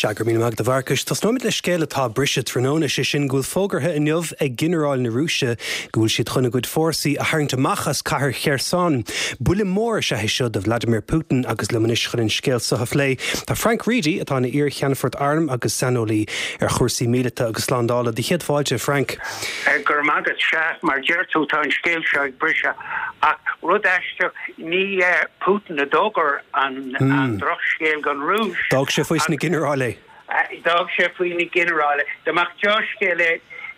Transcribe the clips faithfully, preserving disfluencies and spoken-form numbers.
Sea, go raibh míle maith agat a Mharcais. Tosnóimid le scéal atá ag briseadh tráthnóna, sé sin go bhfuil fógartha inniu ag ginearáil na Rúise go bhfuil siad chun a gcuid fórsaí a tharraingt amach as cathair Kherson. Buille mór is ea é seo do Vladimir Putin agus liom anois chun an scéal seo a phlé. Tá Frank Reidy atá ina iar-cheannfort airm agus saineolaí ar chúrsaí míleata agus slándála. Do chéad fáilte, Frank. Go raibh maith agat. Sea, mar deir tú tá an scéal seo ag briseadh ach rud aisteach ní Putin a d'fhógair an an drochscéal don Rúis. D'fhág sé faoi na ginearáil é. D'fhág sé faoi na ginearáil. Dá mbeadh dea-scéal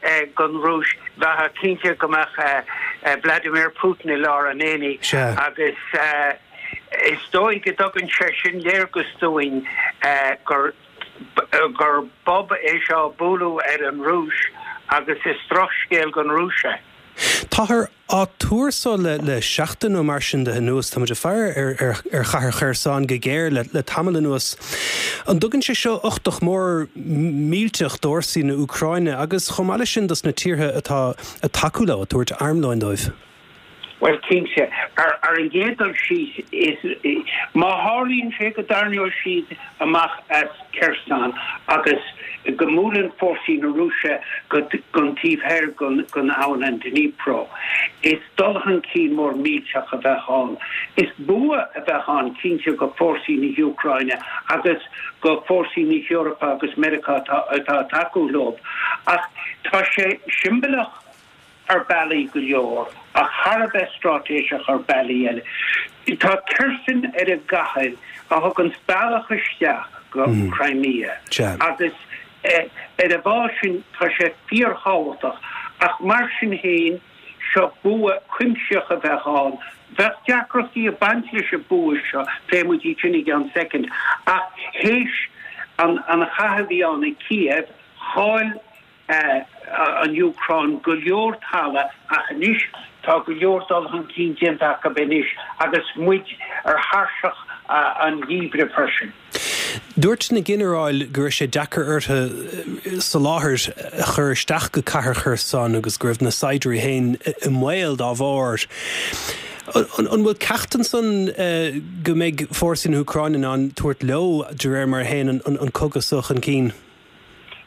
é don Rúis bheadh cinnte go mbeadh Vladimir Putin i lár an aonaigh agus is dóigh go dtugann sé sin léargas dúinn gur gur bob é seo bualadh ar an Rúis agus is drochscéal don Rúis é. Táthar á tuar so le le seachtain nó mar sin de anuas tá muid ag faire ar ar ar chathair Kherson go géar le le tamall anuas. An dtugann sé seo uchtach mór millteach d'fhórsaí na Úcráine agus chomh maith leis sin dos na tíortha atá ag tacú leo ag tabhairt armlóin dóibh. Well cinnte ar ar an gcéad dul síos is má tharlaíonn sé go dtarraingeoidh siad amach as Kherson agus go mbuaileann fórsaí na Rúise go gon taobh thoir gon gon abhainn an Dnipro. Is dul chun cinn mór millteach a bheadh ann. Is bua a bheadh ann cinnte go fórsaí na hÚcráine agus go fórsaí na hEorpa agus Meiriceá atá ag tacú leo. Ach tá sé siombalach ar bhealaí go leor ach thar a bheith straitéiseach ar bhealaí eile. Tá Kherson ar an gcathair a thugann bealach isteach go Crimea agus ar an bhfáth sin tá sé fíorthábhachtach ach mar sin féin seo bua cuimsitheach a bheadh ann. Bheadh deacrachtaí ag baint leis an bua seo pléifidh muid iad sin i gceann soicind ach théis an an chath a bhí ann i Kiev chaill an Úcráin go leor talamh ach anois tá go leor dul chun cinn déanta acu anois agus muid ar thairseach an gheimhridh freisin. Dúirt na ginearáil go raibh sé deacair orthu soláthar a chur isteach go cathair Kherson agus go raibh na saighdiúirí féin i mbaol dá bharr. An bhfuil ceacht ansan go mbeidh fórsaí na hÚcráine in ann tabhairt leo de réir mar a théann an cogadh seo chun cinn?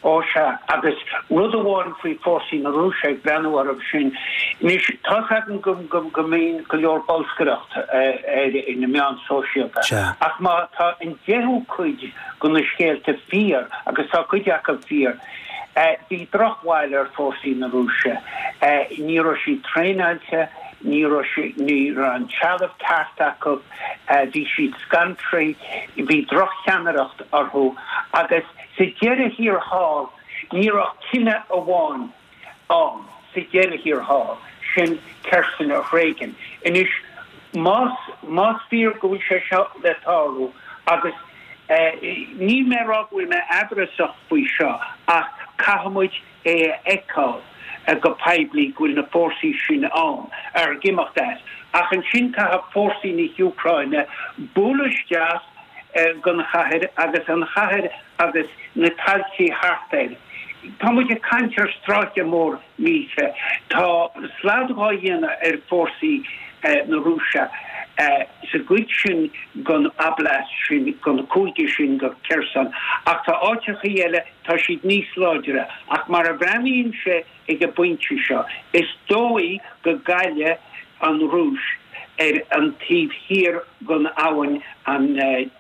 Ó sea, agus rud amháin faoi fórsaí na Rúise ag breathnú orthu sin, anois tá againn go go go mbíonn go leor bolscaireacht ar na meáin sóisialta ach má tá an deichiú cuid de na scéalta fíor agus tá cuid acu fíor, bhí drochbhail ar fórsaí na Rúise. Ní raibh siad traenáilte, ní raibh ní raibh an trealamh ceart acu, bhí siad scanraithe, bhí drochcheannaireacht orthu agus sa deireadh thiar thall ní raibh cinneadh amháin ann sa deireadh thiar thall sin Kherson a thréigean. Anois más más fíor go bhfuil sé seo le tarlú agus níl mé ag rá go bhfuil mé amhrasach faoi seo ach caithfimid é a fheiceáil go poiblí go bhfuil na fórsaí sin ann ar ag imeacht as. Ach ansin caithfidh fórsaí na hÚcráine bualadh isteach gon chathair agus an chathair agus na tailte thart air. Tá muid ag caint ar stráice mór mílte. Tá slad á dhéanamh ar fórsaí na Rúise sa gcuid sin gon oblast sin gon cúige sin go Kherson, ach tá áiteachaí eile tá siad níos láidre ach mar a bhreathnaíonn sé ag an bpointe seo, is dóigh go gcaillfidh an Rúis ar an taobh thiar gon abhainn an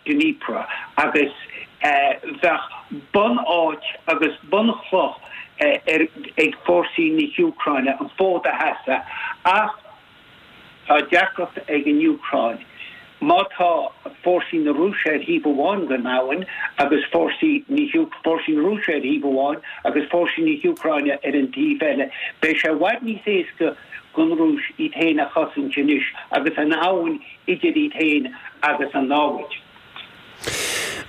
Dnipro agus bheadh bunáit agus bunchloch ar ag fórsaí na hÚcráine an fód a sheasamh ach tá deacracht ag an Úcráin. Má tá fórsaí na Rúise ar thaobh amháin den abhainn agus fórsaí fórsaí na Rúise ar thaobh amháin agus fórsaí na hÚcráine ar an taobh eile, beidh sé i bhfad níos éasca don Rúis iad féin a chosaint anois agus an abhainn idir iad féin agus an namhaid.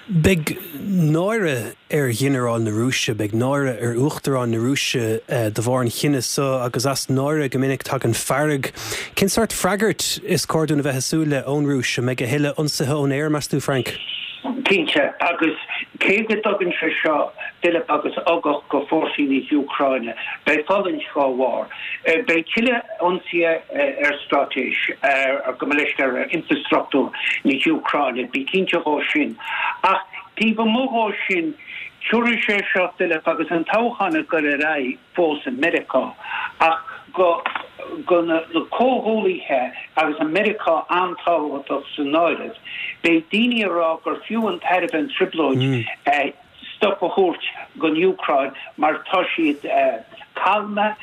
Beidh náire ar ghinearáil na Rúise, beidh náire ar Uachtarán na Rúise de bharr an chinnidh seo agus as náire go minic tagann fearg. Cén sórt freagairt is cóir dúinn a bheith ag súil le ón Rúis? An mbeidh a thuilleadh ionsaithe ón aer, meas tú, Frank? Cinnte, agus cé go dtugann sé seo pilib agus ugach go fórsaí na hÚcráine, beidh fulaingt dá bharr. Beidh tuilleadh ionsaithe ar straitéis, ar go leis ar infrastruchtúr na hÚcráine, bí cinnte dhó sin. Ach Taobh amuigh dhó sin, tiúrfaidh sé seo tuilleadh agus an toghchán ag dul ar aghaidh fós i Meiriceá ach go go na comhghuaillithe agus an Meiriceá an-tábhachtach san áireamh, beidh daoine ag rá gur fiú an tairbhe an trioblóid stop a thabhairt don Úcráin mar tá siad calma,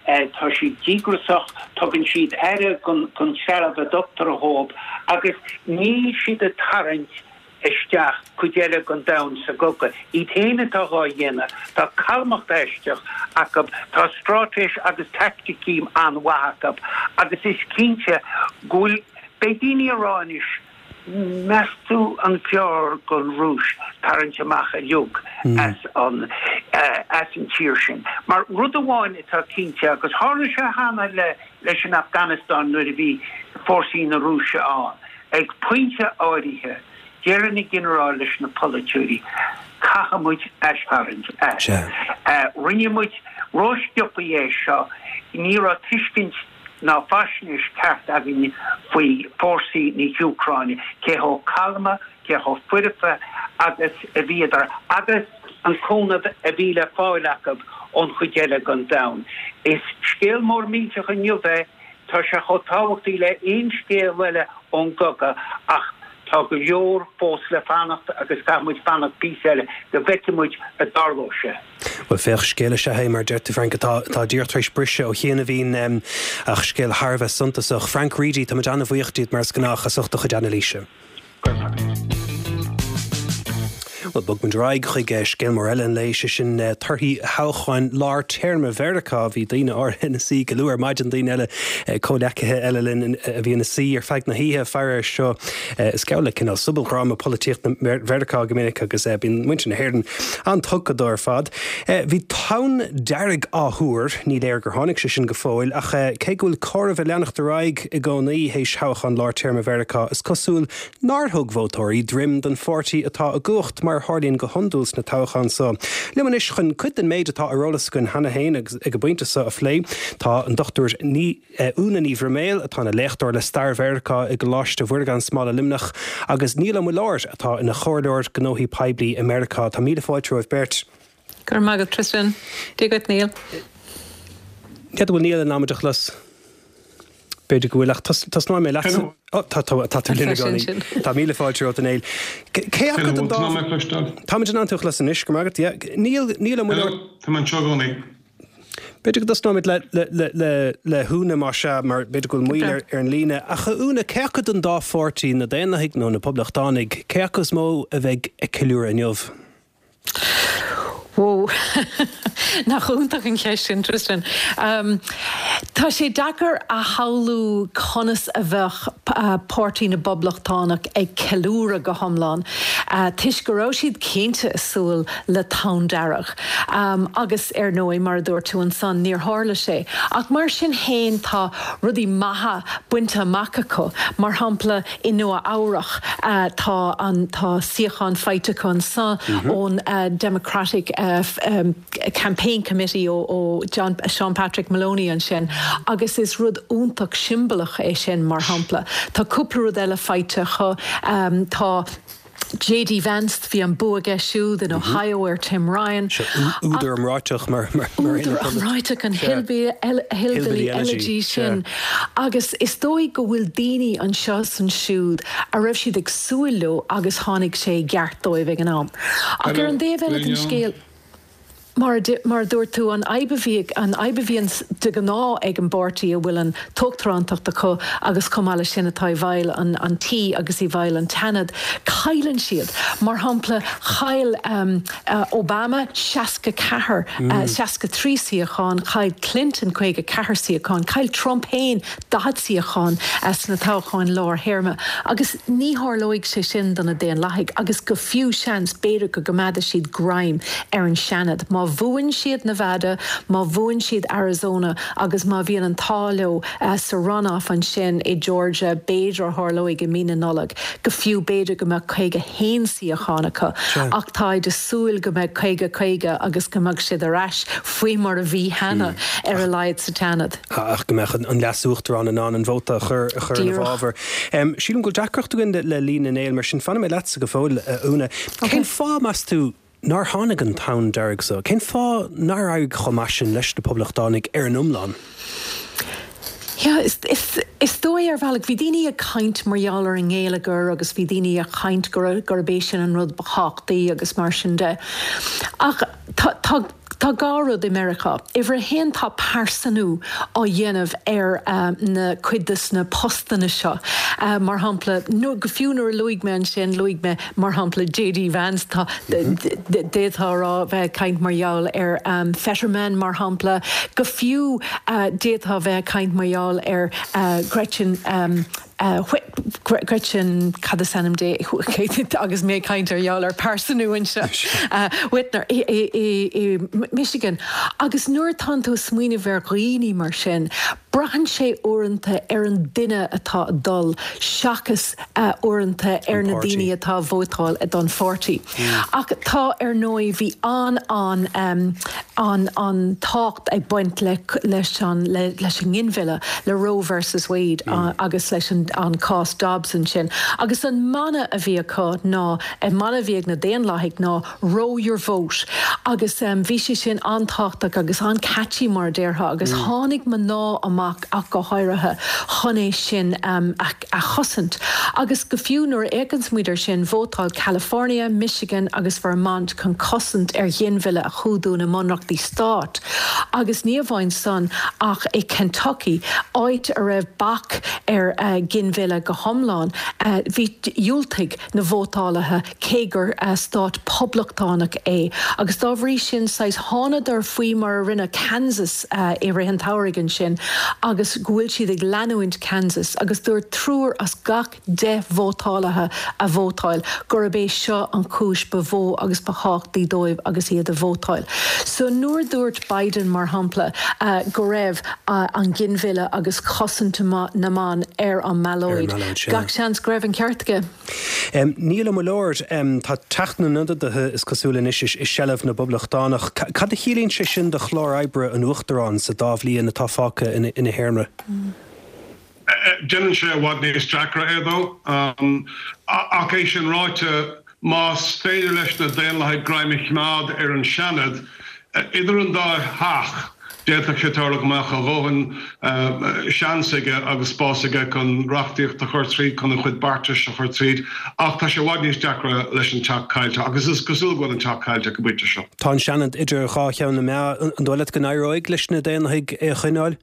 tá siad díograiseach, tugann siad aire don trealamh a dtugtar dhóibh agus níl siad ag tarraingt isteach cuid eile den domhan sa gcogadh. Iad féin atá dhá dhéanamh. Tá calmacht aisteach acu, tá straitéis agus taicticí an-mhaith acu agus is cinnte go bhfuil, beidh daoine ag rá anois, meas tú an fearr don Rúis tarraingt amach uilig as an as an tír sin? Mar rud amháin atá cinnte, agus tharla sé cheana le leis an Afganastáin nuair a bhí fórsaí na Rúise ann, ag pointe áirithe, deireann na ginearáil leis na polaiteoirí, caithfidh muid aistharraingt as. Rinne muid rósciobtha é seo, ní raibh tuiscint ná faisnéis ceart againn faoi fórsaí na hÚcráine, cé chomh calma, cé chomh foirfe agus a bhíodar agus an cúnamh a bhí le fáil acu ón chuid eile den domhan. Is scéal mór millteach inniu é, tá sé chomh tábhachtaí le aon scéal eile ón gcogadh ach tá go leor fós le fanacht agus caithfidh muid fanacht píosa eile go bhfeicfidh muid a dtarlóidh sé. Bhuel, féach, scéal is ea é, mar a deir tú, Frank, atá atá díreach tar éis briseadh ó chianaibhín, ach scéal thar a bheith suntasach. Frank Reidy, tá muid an-bhuíoch díot, mar is gnách, as ucht do chuid anailíse. Go raibh maith agat. Bhuel, bogfaidh muid ar aghaidh chuig scéal mór eile an lae, sé sin torthaí thoghcháin lár téarma Mheiriceá. Bhí daoine áirithe ina suí go luath ar maidin, daoine eile, comhleacaithe eile linn a bhí ina suí ar feadh na hoíche. Faraor seo, is geall le cineál sobaldhráma polaitíocht Mheiriceá go minic agus bíonn muintir na hÉireann an-tugtha dó ar fad. Bhí tonn dearg á thuar, ní léir gur tháinig sé sin go fóill, ach cé go bhfuil comhaireamh ag leanacht ar aghaidh i gcónaí théis thoghchán lár téarma Mheiriceá, is cosúil nár thug vótóirí droim don pháirtí atá i gcumhacht, mar a tharlaíonn go hiondúil sna toghcháin seo. Liom anois chun cuid den méid atá ar eolas againn cheana féin agus ag an bpointe seo a phlé, tá an Dochtúir Ní Úna Ní Bhroiméil, atá ina léachtóir le Stair Mheiriceá i gColáiste Mhuire gan Smál i Luimneach, agus Niall Ó Muilleoir, atá ina chomhairleoir gnóthaí poiblí i Meiriceá. Tá míle fáilte romhaibh beirt. Go raibh maith agat, Tristan. Dia dhuit, Niall. N'fheadar an bhfuil Niall in ann muid a chlos. B'fhéidir go bhfuil, ach tosnóidh mé leatsa. Ó, tá, tá, tá tú linn i gcónaí. Tá míle fáilte romhat, a Néill. Cé acu den dá. Táimid in ann tú a chlos anois, go raibh maith agat, yeah. Niall, Niall Ó Muilleoir. Tá mé anseo i gcónaí. B'fhéidir go dtosnóimid le, le, le, le, le hÚna, más ea, mar b'fhéidir go bhfuil moill ar, ar an líne. Ach a Úna, cé acu den dá pháirtí, na Daonlathaigh nó na Poblachtánaigh, cé acu is mó a bheidh ag ceiliúradh inniu? Whoa. Nach iontach an cheist sin, Tristan. Tá sé deacair a shamhlú conas a bheadh Páirtí na bPoblachtánach ag ceiliúradh go hiomlán, toisc go raibh siad cinnte ag súil le tonn dearg. Agus, ar ndóigh, mar a dúirt tú ansan, níor tharla sé. Ach mar sin féin tá rudaí maithe bainte amach acu. Mar shampla, i Nua Eabhrach tá an tá suíochán faighte acu ansan ón Democratic Campaign Committee ó ó John Sean Patrick Maloney ansin agus is rud iontach siombalach é sin mar shampla. Tá cúpla rud eile faighte acu. Tá J D Vance, bhí an bua aige siúd in Ohio ar Tim Ryan. Údar iomráiteach mar Údar iomráiteach an Hillbilly Elegy sin. Agus is dóigh go bhfuil daoine anseo is ansiúd a raibh siad ag súil leo agus tháinig sé i gceart dóibh ag an am. Ach ar an dtaobh eile den scéal, Mar a dúirt tú, an fhadhb a bhí, an fhadhb a bhíonn de ghnáth ag an bpáirtí a bhfuil an t-uachtarántacht acu agus chomh maith leis sin atá i bhfeighil an an tí agus i bhfeighil an tSeanaid, cailleann siad. Mar shampla, chaill Obama seasca ceathair, seasca trí suíochán, chaill Clinton caoga ceathair suíochán, chaill Trump féin daichead suíochán sna toghcháin lár-théarma agus ní tharlóidh sé sin do na Daonlathaigh agus go fiú, seans, b'fhéidir go gcoimeádfaidh siad greim ar an Seanad má Má bhuann siad Nevada, má bhuann siad Arizona agus má bhíonn an t-ádh leo sa runoff ansin i Georgia, b'fhéidir a tharlóidh i mí na Nollag, go fiú b'fhéidir go mbeadh caoga haon suíochán acu. Ach táid ag súil go mbeidh caoga caoga agus go mbeadh siad ar ais faoi mar a bhí cheana ar a laghad sa tSeanad. Ach go mbeadh an leas-uachtarán in ann an vóta a chur a chur ina bhfabhar. Sílim go bhfuil deacracht againn le líne Néill, mar sin fanfaidh mé leatsa go fóill, a Úna. Cén fáth, meas tú, nár tháinig an tonn dearg so? Cén fáth nár éirigh chomh maith sin leis na Poblachtánaigh ar an iomlán? Yeah, is, is, is dóigh ar bhealach, bhí daoine ag caint mar gheall ar an ngeilleagar agus bhí daoine ag caint gurb é sin an rud ba thábhachtaí agus mar sin de. Ach tá, tá, tá dhá rud i Meiriceá. Uimhir a haon tá pearsanú á dhéanamh ar na cuid de na postanna seo. Mar shampla, go fiú nuair a luaigh mé ansin, luaigh mé mar shampla J D Vance, tá d'fhéadfá a rá bheith ag caint mar gheall ar Fetterman mar shampla, go fiú d'fhéadfá bheith ag caint mar gheall ar Gretchen Gretchen cad is ainm di agus mé ag caint ar gheall ar pearsanú anseo Whitmer i Michigan. Agus nuair atá tú ag smaoineamh ar dhaoine mar sin, braitheann sé uaireanta ar an duine atá ag dul seachas uaireanta ar na daoine atá ag vótáil don pháirtí. Ach tá ar ndóigh bhí an an an an tábhacht ag baint le leis an leis an nginmhilleadh le Roe versus Wade agus leis an an cás Dobbs ansin. Agus an mana a bhí acu ná an mana a bhí ag na Daonlathaigh ná "Roe your vote" agus um, bhí sé sin an-tábhachtach agus an-catchy mar a déarfá agus mm. tháinig mná amach ach go háirithe chun é sin um, a, a chosaint. Agus go fiú nuair a fhéachann muid air sin vótáil California, Michigan agus Vermont chun cosaint ar ghinmhilleadh a chumhdú na mbunreachtaí stát. Agus ní amháin san ach i Kentucky áit a raibh bac ar uh, ginmhilleadh go hiomlán uh, bhí dhiúltaigh na vótálaithe cé gur uh, stát poblachtánach é. Agus dá bhrí sin sais thánadar faoi mar a rinne Kansas uh, i rith an tsamhraidh ansin agus go bhfuil siad ag leanúint Kansas agus dúirt triúr as gach deich vótálaithe a vótáil gurb é seo an chúis ba mhó agus ba thábhachtaí dóibh agus iad ag vótáil. So nuair dúirt Biden mar shampla uh, go raibh uh, an ginmhilleadh agus cosaint na mban ar an mballóid. Gach seans go raibh an ceart aige. Um, Niall Ó Muilleoir um, tá Teach na nIonadaithe is cosúil anois i seilbh na bPoblachtánach. Cad a chiallaíonn sé sin do chlár oibre an Uachtaráin sa dá bhliain atá fágtha ina, ina théarma? Mm. Déanann sé i bhfad níos deacra é dó um, ach é sin ráite más féidir leis na Daonlathaigh greim a choimeád ar an Seanad, idir an dá theach d'fhéadfadh sé tarlú go mbeadh a dhóthain seans aige agus spás aige chun reachtaíocht a chur tríd chun a chuid beartais a chur tríd, ach tá sé i bhfad níos deacra leis an teach caillte agus is cosúil go bhfuil an teach caillte go pointe seo. Tá an Seanad idir dhá cheann na meá an dóigh leat go n-éireoidh leis na Daonlathaigh é a choinneáil?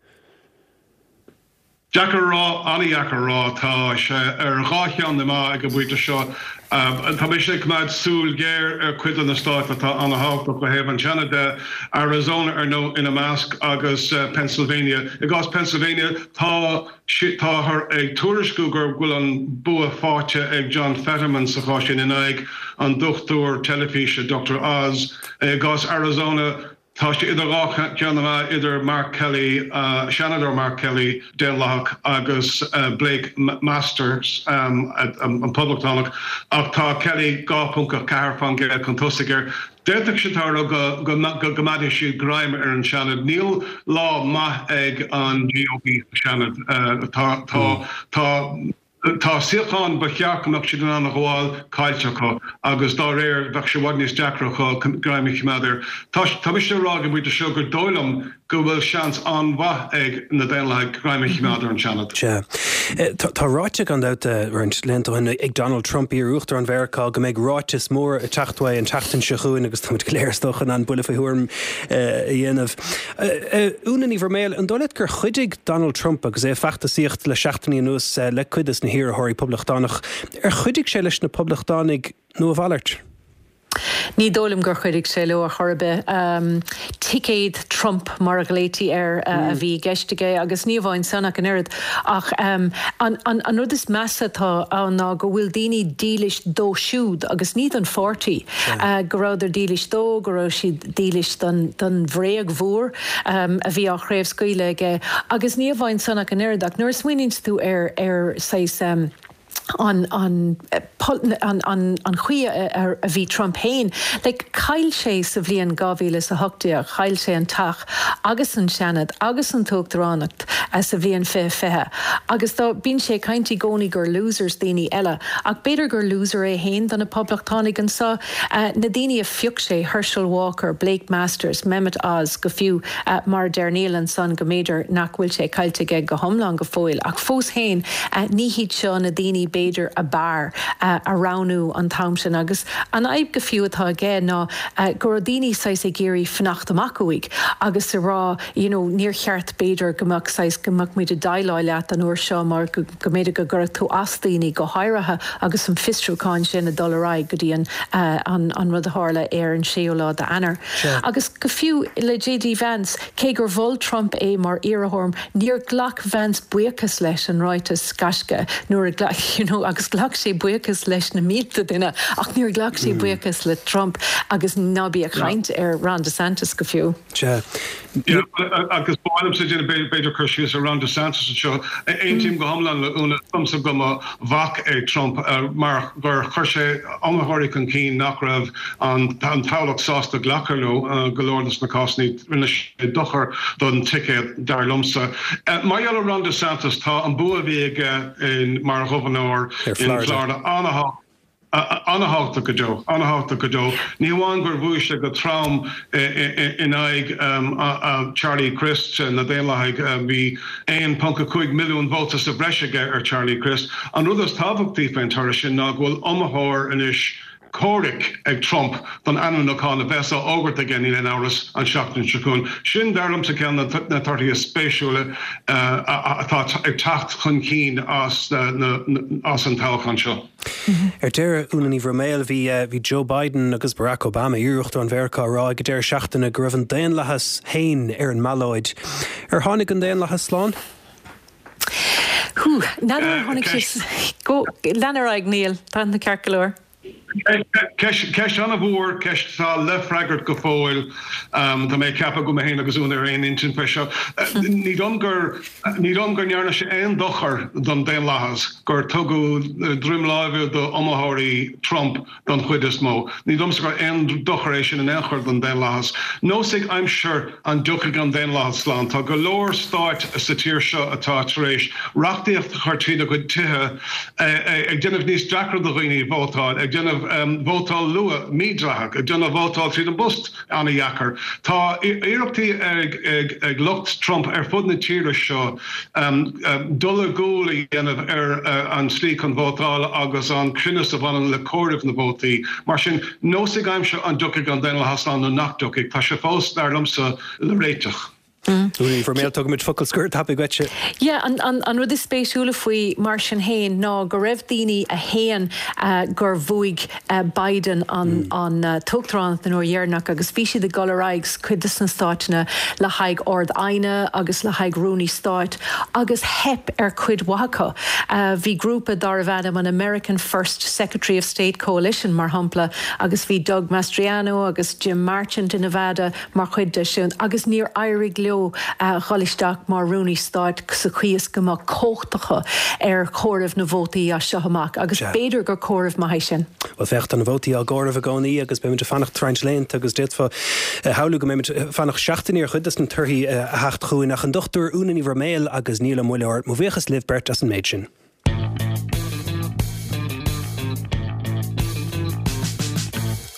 Deacair a rá, an-deacair a rá, tá sé ar dhá cheann na meá ag an bpointe seo. Tá mise ag coimeád súil ghéar ar chuid de na stáit atá an-tábhachtach ó thaobh an Seanad de, Arizona ar ndóigh ina measc agus Pennsylvania. I gcás Pennsylvania tá táthar ag tuairisciú go bhfuil an bua faighte ag John Fetterman sa chás sin in aghaidh an dochtúir teilifíse Doctor Oz. I gcás Arizona tá sé idir dhá cheann na meá idir Mark Kelly, Seanadóir Mark Kelly, Daonlathach agus Blake Masters, an Poblachtánach, ach tá Kelly dhá ponc a ceathair faoin gcéad chun tosaigh air. D'fhéadfadh sé tarlú go go gcoimeádfaidh siad greim ar an Seanad. Níl lá maith ag an G O P sa Seanad. Tá tá tá Tá suíocháin ba cheart go mbeadh siad in ann a ghabháil caillte acu agus dá réir bheadh sé i bhfad níos deacra acu greim a choimeád air. Tá mise ag rá ag an bpointe seo gur dóigh liom go bhfuil seans an-mhaith ag na Daonlathaigh greim a choimeád ar an Seanad. Sea. Tá ráite gan dabht roinnt laethanta ó shin ag Donald Trump, iar-uachtarán Mheiriceá, go mbeidh ráiteas mór ag teacht uaidh an tseachtain seo chugainn agus táimid go léir is dócha in ann buille faoi thuairim a dhéanamh. Úna Ní Bhroiméil, an dóigh leat gur chuidigh Donald Trump agus é ag feachtasaíocht le seachtainí anuas le cuid de na hiarrthóirí poblachtánach, ar chuidigh sé leis na poblachtánaigh nó a mhalairt? Ní dóigh liom gur chuidigh sé leo ar chor ar bith. Ticéad Trump mar a ghlaoití air a bhí i gceist aige agus ní amháin san ach an oiread. Ach an an rud is measa atá ann ná go bhfuil daoine dílis dó siúd agus ní don pháirtí. Go rabhadar dílis dó, go raibh siad dílis don don bhréag mhór a bhí á chraobhscaoileadh aige. Agus ní amháin san ach an oiread ach nuair a smaoiníonn tú ar ar saghas an an an an chaoi a bhí Trump féin. Like, chaill sé sa bhliain dhá mhíle is a hocht déag, chaill sé an Teach agus an Seanad agus an tUachtaránacht sa bhliain fiche fiche. Agus dá bíonn sé ag caint i gcónaí gur losers daoine eile, ach b'fhéidir gur loser é féin do na Poblachtánaigh anseo, na daoine a phioc sé, Herschel Walker, Blake Masters, Mehmet Oz, go fiú mar a deir Niall ansan go mb'fhéidir nach bhfuil sé caillte aige go hiomlán go fóill. Ach fós féin, ní hiad seo na daoine b'fhéidir ab fhearr a roghnú an t-am sin agus an fhadhb go fiú atá aige ná go raibh daoine saghas ag iarraidh fanacht amach uaidh agus ag rá you know níor cheart b'fhéidir go mbeadh saghas go mbeadh muid ag déileáil leat an uair seo mar go mb'fhéidir go gcuirfeadh tú as daoine go háirithe agus an fiosrúchán sin ag dul ar aghaidh go dtí an an an rud a tharla ar an séú lá d'Eanáir. Agus go fiú le J D Vance, cé gur mhol Trump é mar iarrthóir, níor ghlac Vance buíochas leis an ráiteas gaisce nuair a ghlac you know agus ghlac sé buíochas leis na mílte duine ach níor ghlac sé buíochas le Trump agus ná bí ag caint ar Ron DeSantis go fiú. Sea. Agus ba mhaith liomsa déanamh b'fhéidir cur síos ar Ron DeSantis anseo. Aontaím go hiomlán le Úna, domsa go mba bhac é Trump mar gur chuir sé iomaitheoirí chun cinn nach raibh an toghlach sásta glacadh leo go leor de na cásanna. Rinne sé dochar don ticéad, dar liomsa. Mar gheall ar Ron DeSantis, tá an bua a bhí aige mar ghobharnóir in Florida an-thábhachtach go deo, an-thábhachtach go deo. Ní hamháin gur bhuaigh sé go trom in aghaidh Charlie Crist na Daonlathaigh, bhí aon ponc a cúig milliún vóta sa bhreis aige ar Charlie Crist. An rud is tábhachtaí faoin toradh sin ná go bhfuil iomaitheoir anois comhraic ag Trump don ainmniúchán a bheas á fhógairt aige, níl aon amhras, an tseachtain seo chugainn. Sin, dar liomsa, ceann de na torthaí is spéisiúla atá ag teacht chun cinn as an toghchán seo. Ar deireadh, Úna Ní Bhroiméil, bhí bhí Joe Biden agus Barack Obama, iar-uachtarán Mheiriceá, ag rá ag an deireadh seachtaine go raibh an daonlathas féin ar an mballóid. Ar tháinig an daonlathas slán? Hú, n'fheadar ar tháinig sé. Go, lean ar aghaidh, Niall, tá na ceart go leor. Ceist an-mhór, ceist atá le freagairt go fóill. Tá mé ag ceapadh go mé féin agus Úna ar aon intinn faoi seo. Ní dóigh liom gur ní dóigh liom go ndearna sé aon dochar don daonlathas gur tugadh droim láimhe d'iomaitheoirí Trump don chuid is mó. Ní dóigh liomsa gur aon dochar é sin in aon chor don daonlathas. Neosfaidh aimsir an dtiocfaidh an daonlathas slán. Tá go leor stáit sa tír seo atá tar éis reachtaíocht a chur tríd a gcuid tithe ag déanamh níos deacra do dhaoine vótáil, ag déanamh vótáil luath mídhleathach, ag déanamh vótáil tríd an bpost an-dheacair. Tá iarrachtaí ag lucht Trump ar fud na tíre seo dul i gcúl a dhéanamh ar an tslí chun vótála agus an cruinneas a bhaineann le comhaireamh na vótaí. Mar sin, neosfaidh aimsir an dtiocfaidh an daonlathas slán nó nach dtiocfaidh. Tá sé fós, dar liomsa, le réiteach. Úna Ní Bhroiméil, tugaimid focal scoir tapaidh dhuitse. Yeah, an, an, an rud is spéisiúla faoi mar sin féin ná go raibh daoine a shéan gur bhuaigh Biden an, an t-uachtaránacht an uair dheireanach agus bhí siad ag dul ar aghaidh sa cuid de na stáiteanna le haghaidh Ard-Aighne agus le haghaidh Rúnaí Stáit agus theip ar cuid mhaith acu. Bhí grúpa darbh ainm an American First Secretary of State Coalition mar shampla agus bhí Doug Mastriano agus Jim Marchant in Nevada mar chuid de sin agus níor éirigh leo dhul isteach mar Rúnaí Stáit sa chaoi is go mbeadh cumhacht acu ar chomhaireamh na vótaí as seo amach agus b'fhéidir gur comhaireamh maith é sin. Bhuel féach, tá na vótaí á gcomhaireamh i gcónaí agus beimid ag fanacht roinnt laethanta agus d'fhéadfá a shamhlú go mbeimid ag fanacht seachtainí ar chuid de na torthaí a theacht chugainn ach an Dochtúir Úna Ní Bhroiméil agus Niall Ó Muilleoir, mo bhuíochas libh beirt as an méid sin.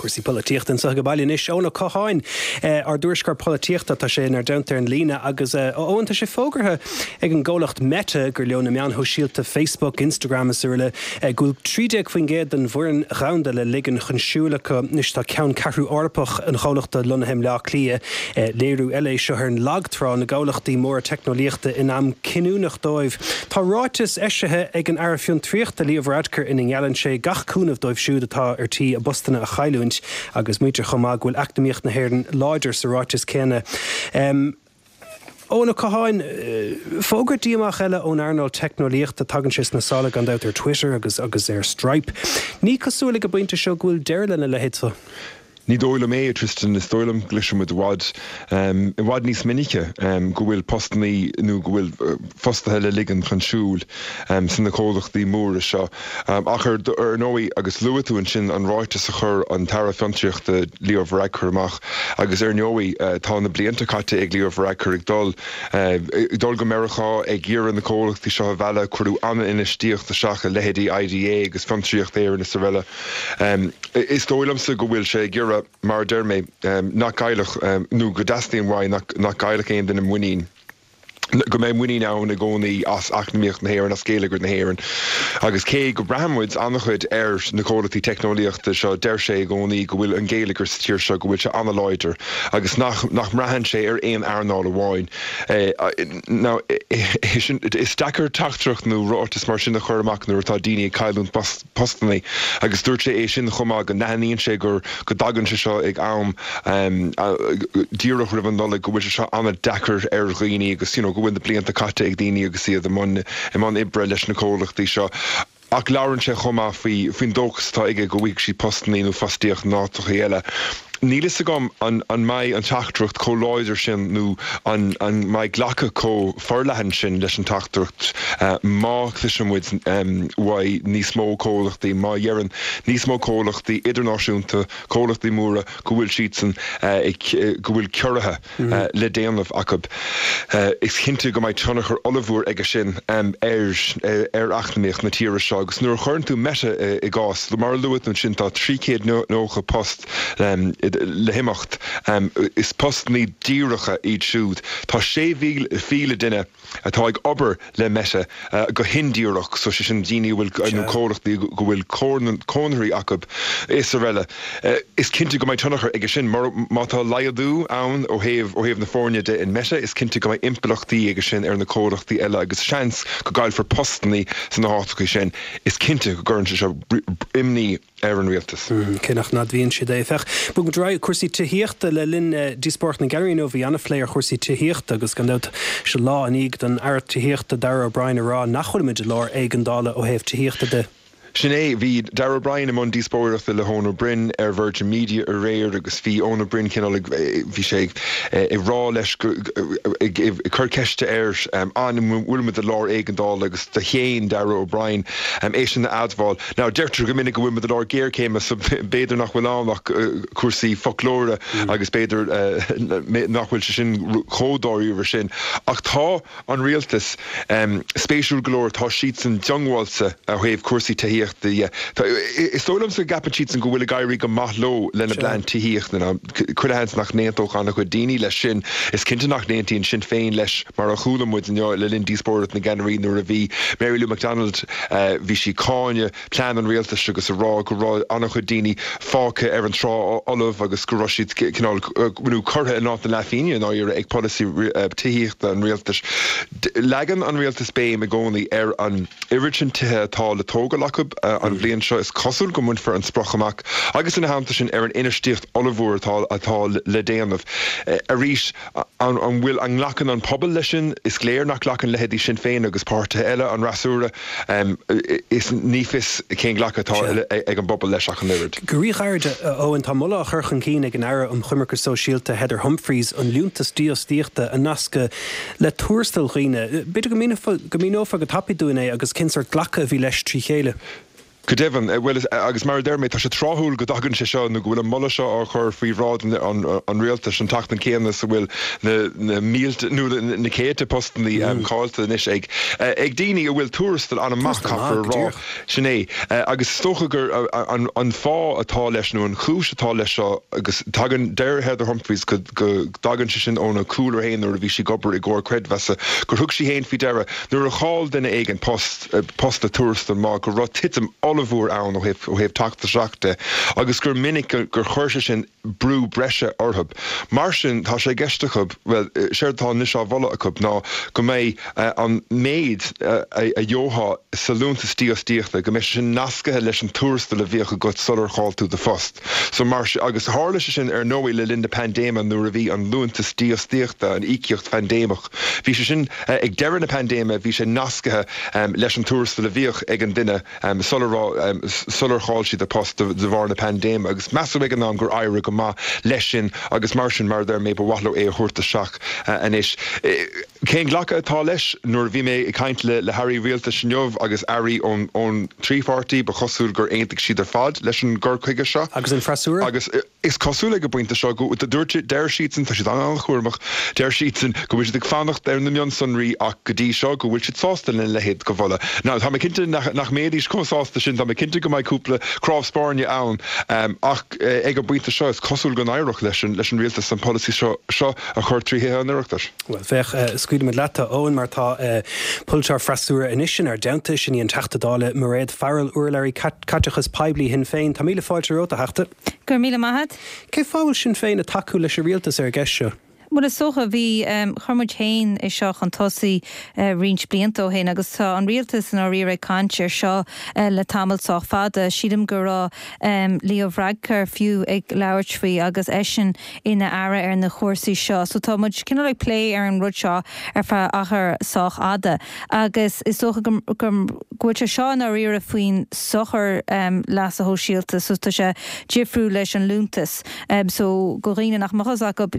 Cúrsaí polaitíochta anseo ag baile anois. Eoin Ó Catháin, ár dtuairisceoir polaitíochta, tá sé inár dteannta ar an líne agus a Eoin, tá sé fógartha ag an gcomhlacht Meta, gur leo na meáin shóisialta Facebook, Instagram is araile, go bhfuil trí déag faoin gcéad den bhfoireann dhomhanda le ligean chun siúil acu. Anois tá ceanncheathrú Eorpach an chomhlachta lonnaithe i mBleá Cliath. Léiriú eile é seo ar an lagtrá na gcomhlachtaí móra teicneolaíochta in am cinniúnach dóibh. Tá ráiteas eisithe ag an Aire Fiontraíochta Leo Varadkar ina ngeallann sé gach cúnamh dóibh siúd atá ar tí a bpostanna a chailliúint. leanúint agus maítear chomh maith go bhfuil eacnamaíocht na hÉireann láidir sa ráiteas céanna. Eoin Ó Catháin, fógra díomách eile ón earnáil teicneolaíochta, tagann sé sna sála gan dabht ar Twitter agus agus ar Stripe. Ní cosúil ag an bpointe seo go bhfuil deireadh lena leithéid seo. Ní dóigh liom é, a Tristan, is dóigh liom go gcloisfidh muid i bhfad, i bhfad níos minice go bhfuil postannaí nó go bhfuil fostaithe le ligean chun siúil sna comhlachtaí móra seo. Ach ar ndóigh, agus luaigh tú ansin an ráiteas a chuir an tAire Fiontraíochta Leo Varadkar amach agus ar ndóigh tá na blianta caite ag Leo Varadkar ag dul ag dul go Meiriceá ag iarraidh na comhlachtaí seo a mhealladh, cuireadh an-infheistíocht isteach i leithéidí IDA agus Fiontraíocht Éireann is araile. Is dóigh liomsa go bhfuil sé ag iarraidh, mar a deir mé, nach gcaillfeadh, nó go dteastaíonn uaidh nach gcaillfeadh aon duine muinín, go mbeidh muinín ann i gcónaí as eacnamaíocht na hÉireann, as géilleagar na hÉireann. Agus cé go mbraitheann muid an-chuid ar na comhlachtaí teicneolaíochta seo, deir sé i gcónaí go bhfuil an géilleagar sa tír seo, go bhfuil sé an-láidir agus nach nach mbraitheann sé ar aon earnáil amháin. Now, is deacair teachtaireacht nó ráiteas mar sin a chur amach nuair atá daoine ag cailliúint postannaí agus dúirt sé é sin chomh maith go n-aithníonn sé gur go dtagann sé seo ag am díreach roimh an Nollaig go bhfuil sé seo an-deacair ar dhaoine agus you know go bhfuil na blianta caite ag daoine agus iad i mbun i mbun oibre leis na comhlachtaí seo. Ach labhrann sé chomh maith faoi faoin dóchas atá aige go bhfaighidh siad postannaí nó fostaíocht in áiteachaí eile. Níl fhios agam an an mbeidh an teachtaireacht chomh láidir sin nó an an mbeidh glacadh chomh forleathan sin leis an teachtaireacht má chloiseann muid uaidh níos mó comhlachtaí, má dheireann níos mó comhlachtaí idirnáisiúnta, comhlachtaí móra go bhfuil siadsan ag go bhfuil ciorruithe le déanamh acu. Is cinnte go mbeidh tionchar ollmhór aige sin ar ar eacnamaíocht na tíre seo agus nuair a chuireann tú Meta i gcás, mar a luaigh tú ansin tá trí chéad nócha post le himeacht. Is postannaí díreacha iad siúd. Tá sé mhíle duine atá ag obair le Meta go hindíreach, so sé sin daoine a bhfuil, nó comhlachtaí go bhfuil conarthaí acu is araile. Is cinnte go mbeidh tionchar aige sin. Má tá laghdú ann ó thaobh ó thaobh na foirne de in Meta, is cinnte go mbeidh impleachtaí aige sin ar na comhlachtaí eile agus seans go gcaillfear postannaí sna háiteacha sin. Is cinnte go gcuireann sé seo imní ar an rialtas. Cé nach n-admhaíonn siad é. Féach, bog muid ar aghaidh, cúrsaí tithíochta le linn díospóireacht na gceannairí inniu bhí an-phlé ar chúrsaí tithíochta agus gan dabht seo lá i ndiaidh don Aire Tithíochta Darragh O'Brien a rá nach bhfuilimid i lár éigeandála ó thaobh tithíochta de. Sin é, bhí Darragh O'Brien i mbun díospóireachta le hEoin Ó Broin ar Virgin Media aréir agus bhí Eoin Ó Broin cineál ag, bhí sé ag rá leis go, ag cur ceiste air an bhfuilimid i lár éigeandála agus do shéan Darragh O'Brien é sin a admháil. Now, deirtear go minic go bhfuil muid i lár géarchéime so b'fhéidir nach bhfuil ann ach cúrsaí foclóra agus b'fhéidir nach bhfuil sé sin chomh dáiríre sin. Ach tá an rialtas, spéisiúil go leor, tá siadsan diongbháilte ó thaobh cúrsaí tithíochta dhe. Is dóigh liomsa go gceapann siadsan go bhfuil ag éirí go maith leo lena bplean tithíochta. Now, chuile sheans nach n-aontódh an-chuid daoine leis sin. Is cinnte nach n-aontaíonn Sinn Féin leis, mar a chuala muid inniu le linn díospóireacht na gceannairí nuair a bhí Mary Lou McDonald, bhí sí ag cáineadh plean an rialtais agus ag rá go raibh an-chuid daoine fágtha ar an trá fholamh agus go raibh siad cineál, nó curtha in áit na leathphingine i ndáiríre ag polasaí tithíochta an rialtais. Leagann an rialtas béim i gcónaí ar an oiread sin tithe atá le tógáil acu an bhliain seo. Is cosúil go mbainfear an sprioc amach agus ina theannta sin ar an infheistíocht ollmhór atá atá le déanamh. Arís, an bhfuil, an nglacann an pobal leis sin? Is léir nach nglacann leithéidí Sinn Féin agus páirtithe eile an fhreasúra. Is ní fios cén glacadh atá ag an bpobal leis ach an oiread. Go ríghairid, a Eoin, tá moladh á chur chun cinn ag an Aire um Choimirce Sóisialta Heather Humphreys an liúntas dífhostaíochta a nascadh le tuarastal dhaoine. B'fhéidir go míneofá go tapaidh dúinn é agus cén sórt glacadh a bhí leis trí chéile. Go deimhin, bhuel, agus mar a deir mé, tá sé tráthúil go dtagann sé seo nó go bhfuil an moladh seo á chur faoi bhráid an rialtais an tseachtain céanna is a bhfuil na mílte nó na céadta postannaí caillte anois ag ag daoine a bhfuil tuarastal an-mhaith, caithfear a rá. Sin é. Agus is dócha gur an fáth atá leis nó an chúis atá leis seo agus tagann, deir Heather Humphreys go dtagann sé sin óna cúlra féin nuair a bhí sí ag obair i gcomhar creidmheasa, gur thug sí féin faoi deara nuair a chaill duine éigin post, post le tuarastal maith, go raibh titim ollmhór ollmhór ann ó thaobh ó thaobh teacht isteach de agus gur minic gur chuir sé sin brú breise orthu. Mar sin tá sé i gceist acu, bhuel, séard atá anois á mholadh acu ná go mbeidh an méid a gheofá sa liúntas dífhostaíochta, go mbeidh sé sin nasctha leis an tuarastal a bhíodh agat sular chaill tú do phost. So mar agus tharla sé sin ar ndóigh le linn na paindéime nuair a bhí an liúntas dífhostaíochta, an íocaíocht phaindéimeach, bhí sé sin ag deireadh na paindéime, bhí sé nasctha leis an tuarastal a bhíodh ag an duine sular sular chaill siad a post de bharr na paindéime agus measadh ag an am gur éirigh go maith leis sin agus mar sin, mar a deir mé, ba mhaith leo é a thabhairt isteach anois. Cén glacadh atá leis? Nuair a bhí mé ag caint le le hairí rialtais inniu agus airí ón ón trí pháirtí, ba chosúil gur aontaigh siad ar fad leis an gcur chuige seo. Agus an freasúra? Agus is cosúil ag an bpointe seo go dúirt deir siadsan, tá siad an-chúramach, deir siadsan go bhfuil siad ag fanacht ar na mionsonraí ach go dtí seo go bhfuil siad sásta lena leithéid de mholadh. Now tá mé cinnte nach nach mbeidís chomh sásta sin, tá mé cinnte go mbeidh cúpla cnámh spairne ann ach ag an bpointe seo is cosúil go n-éireodh leis an leis an rialtas an polasaí seo seo a chur trí Thithe an Oireachtais. Bhuel, féach, scaoilfimid leat, a Eoin, mar tá polaiteoir freasúra anois inár dteannta, sin í an Teachta Dála Mairéad Farrell, urlabhraí caiteachas poiblí Shinn Féin. Tá míle fáilte romhat, a Theachta. Go raibh míle maith agat. Cén fáth a bhfuil Sinn Féin ag tacú leis an rialtas ar an gceist seo? Bhuel, is dócha, bhí, chuir muid féin é seo chun tosaigh roinnt blianta ó shin agus tá an rialtas i ndáiríre ag caint ar seo le tamall sách fada. Sílim go raibh Leo Varadkar fiú ag labhairt faoi agus eisean ina aire ar na cúrsaí seo. So tá muid cineál ag plé ar an rud seo ar feadh achar sách fhada agus is dócha go go bhfuil sé seo i ndáiríre faoin sochar leasa shóisialta so tá sé difriúil leis an liúntas. So do dhaoine nach mbeadh fhios acu,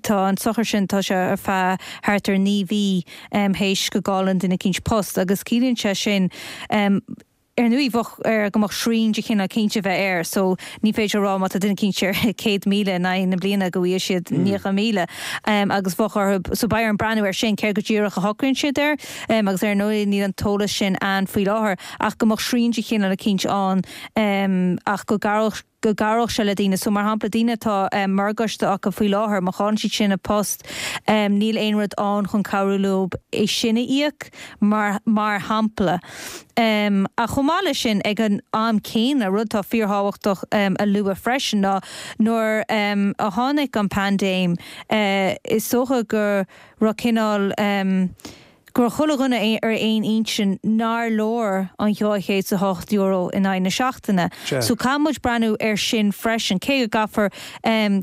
tá an sochar sin, tá sé ar feadh thart ar naoi mhí théis go gcailleann duine eicínt post agus ciallaíonn sé sin ar ndóigh bheadh air go mbeadh srian de chineál eicínt a bheith air so ní féidir a rá má tá duine eicínt ar céad míle in aghaidh na bliana go bhfaighidh siad níocha míle agus bheadh orthu so beidh orainn breathnú air sin céard go díreach a shocraíonn siad air agus ar ndóigh níl an t-eolas sin ann faoi láthair ach go mbeadh srian de chineál eicínt ann ach go gcabhródh go gcabhródh sé le daoine. So, mar shampla, daoine atá morgáiste acu faoi láthair, má chailleann siad sin a bpost, níl aon rud ann chun cabhrú leo é sin a íoc, mar mar shampla. Ach chomh maith leis sin, ag an am céanna, rud atá fíorthábhachtach a lua freisin ná nuair a tháinig an paindéim, is dócha go raibh cineál, go raibh chuile dhuine ar aon intinn nár leor an dhá chéad is a hocht euro in aghaidh na seachtaine. So caithfidh muid breathnú air sin freisin, cé go gcaithfear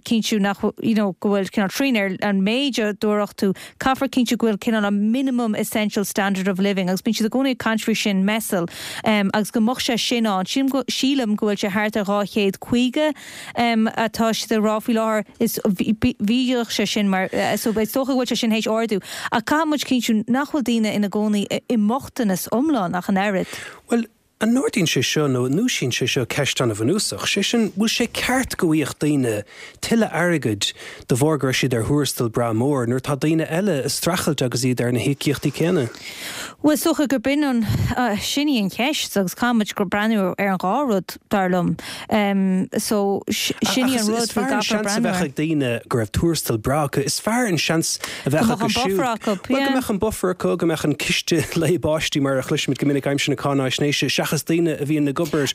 cinntiú nach, you know, go bhfuil cineál srian ar an méid a dtabharfadh tú, caithfear cinntiú go bhfuil cineál an minimum essential standard of living, agus bíonn siad i gcónaí ag caint faoi sin, MESL, agus go mbeadh sé sin ann. Sílim go, sílim go bhfuil sé thart ar dhá chéad caoga atá siad ag rá faoi láthair, is bhíodh sé sin mar, so is dócha go bhfuil sé sin théis ardú, ach caithfidh muid cinntiú nach bhfuil daoine ina gcónaí i mbochtanas iomlán ach an oiread. Bhuel, an n-ardaíonn sé seo nó an ndúisíonn sé seo ceist an-bhunúsach, sé sin, bhfuil sé ceart go bhfaigheadh daoine tuilleadh airgid de bharr go raibh siad ar thuarastal breá mór nuair atá daoine eile ag streachailt agus iad ar na híocaíochtaí céanna? Bhuel, is dócha gurb in an, sin í an cheist agus caithfidh muid breathnú ar an dhá rud, dar liom. So, sin í an rud go gcaithfear breathnú air. Ach is fearr an seans a bheadh ag daoine go raibh tuarastal breá acu, is fearr an seans a bheadh acu siúd. Go mbeadh an buffer acu, yeah. Bhuel, go mbeadh an buffer acu, go mbeadh an ciste lae báistí mar a chloisimid go minic aimsir na cáináisnéise, seachas daoine a bhíonn ag obair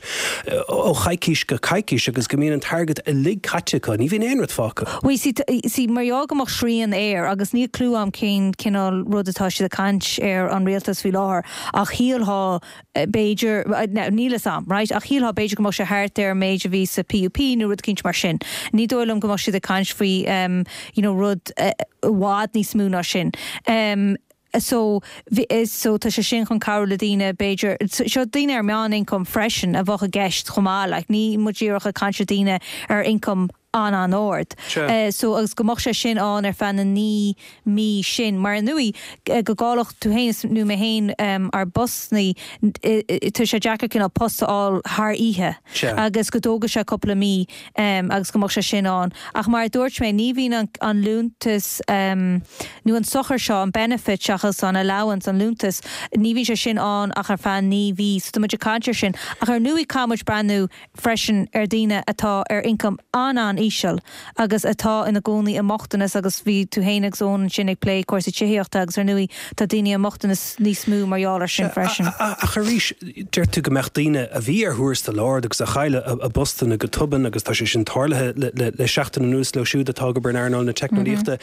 ó choicís go coicís agus go mbíonn an t-airgead uilig caite acu, ní bhíonn aon rud fágtha. Bhuel, see, see, mar gheall go mbeadh srian air, agus níl clue a'm cén cineál rud atá siad ag caint ar an rialtas faoi láthair, ach shílfeá, b'fhéidir, now níl fhios a'm, right, ach shílfeá b'fhéidir go mbeadh sé thart ar an méid a bhí sa PUP nó rud eicínt mar sin. Ní dóigh liom go mbeadh siad ag caint faoi, you know, rud i bhfad níos mó ná sin. So, so tá sé sin chun cabhrú le daoine b'fhéidir, seo daoine ar meán-ioncam freisin a bheadh i gceist chomh maith, like níl muid díreach ag caint ar daoine ar ioncam an-an-ard. So, agus go mbeadh sé sin ann ar feadh na naoi mí sin. Mar ar ndóigh, go gcaillfeadh tú féin nó mé féin ár bpostannaí, tá sé deacair cineál post a fháil thar oíche agus go dtógfaidh sé cúpla mí agus go mbeadh sé sin ann. Ach mar a dúirt mé, ní bhíonn an liúntas nó an sochar seo, an benefit seachas an allowance, an liúntas, ní bhíonn sé sin ann ach ar feadh naoi mhí. So tá muid ag caint ar sin. Ach ar ndóigh caithfidh muid breathnú freisin ar daoine atá ar ioncam an-an-íseal. an-íseal agus atá ina gcónaí i mbochtanas agus bhí tú féin agus Eoin ansin ag plé cúrsaí tithíochta agus ar ndóigh tá daoine i mbochtanas níos mó mar gheall air sin freisin. Ach arís, deir tú go mbeadh daoine a bhí ar thuarastal ard agus a chaill a bpostanna go tobann agus tá sé sin tarlaithe le seachtain anuas leo siúd atá ag obair in earnáil na teicneolaíochta.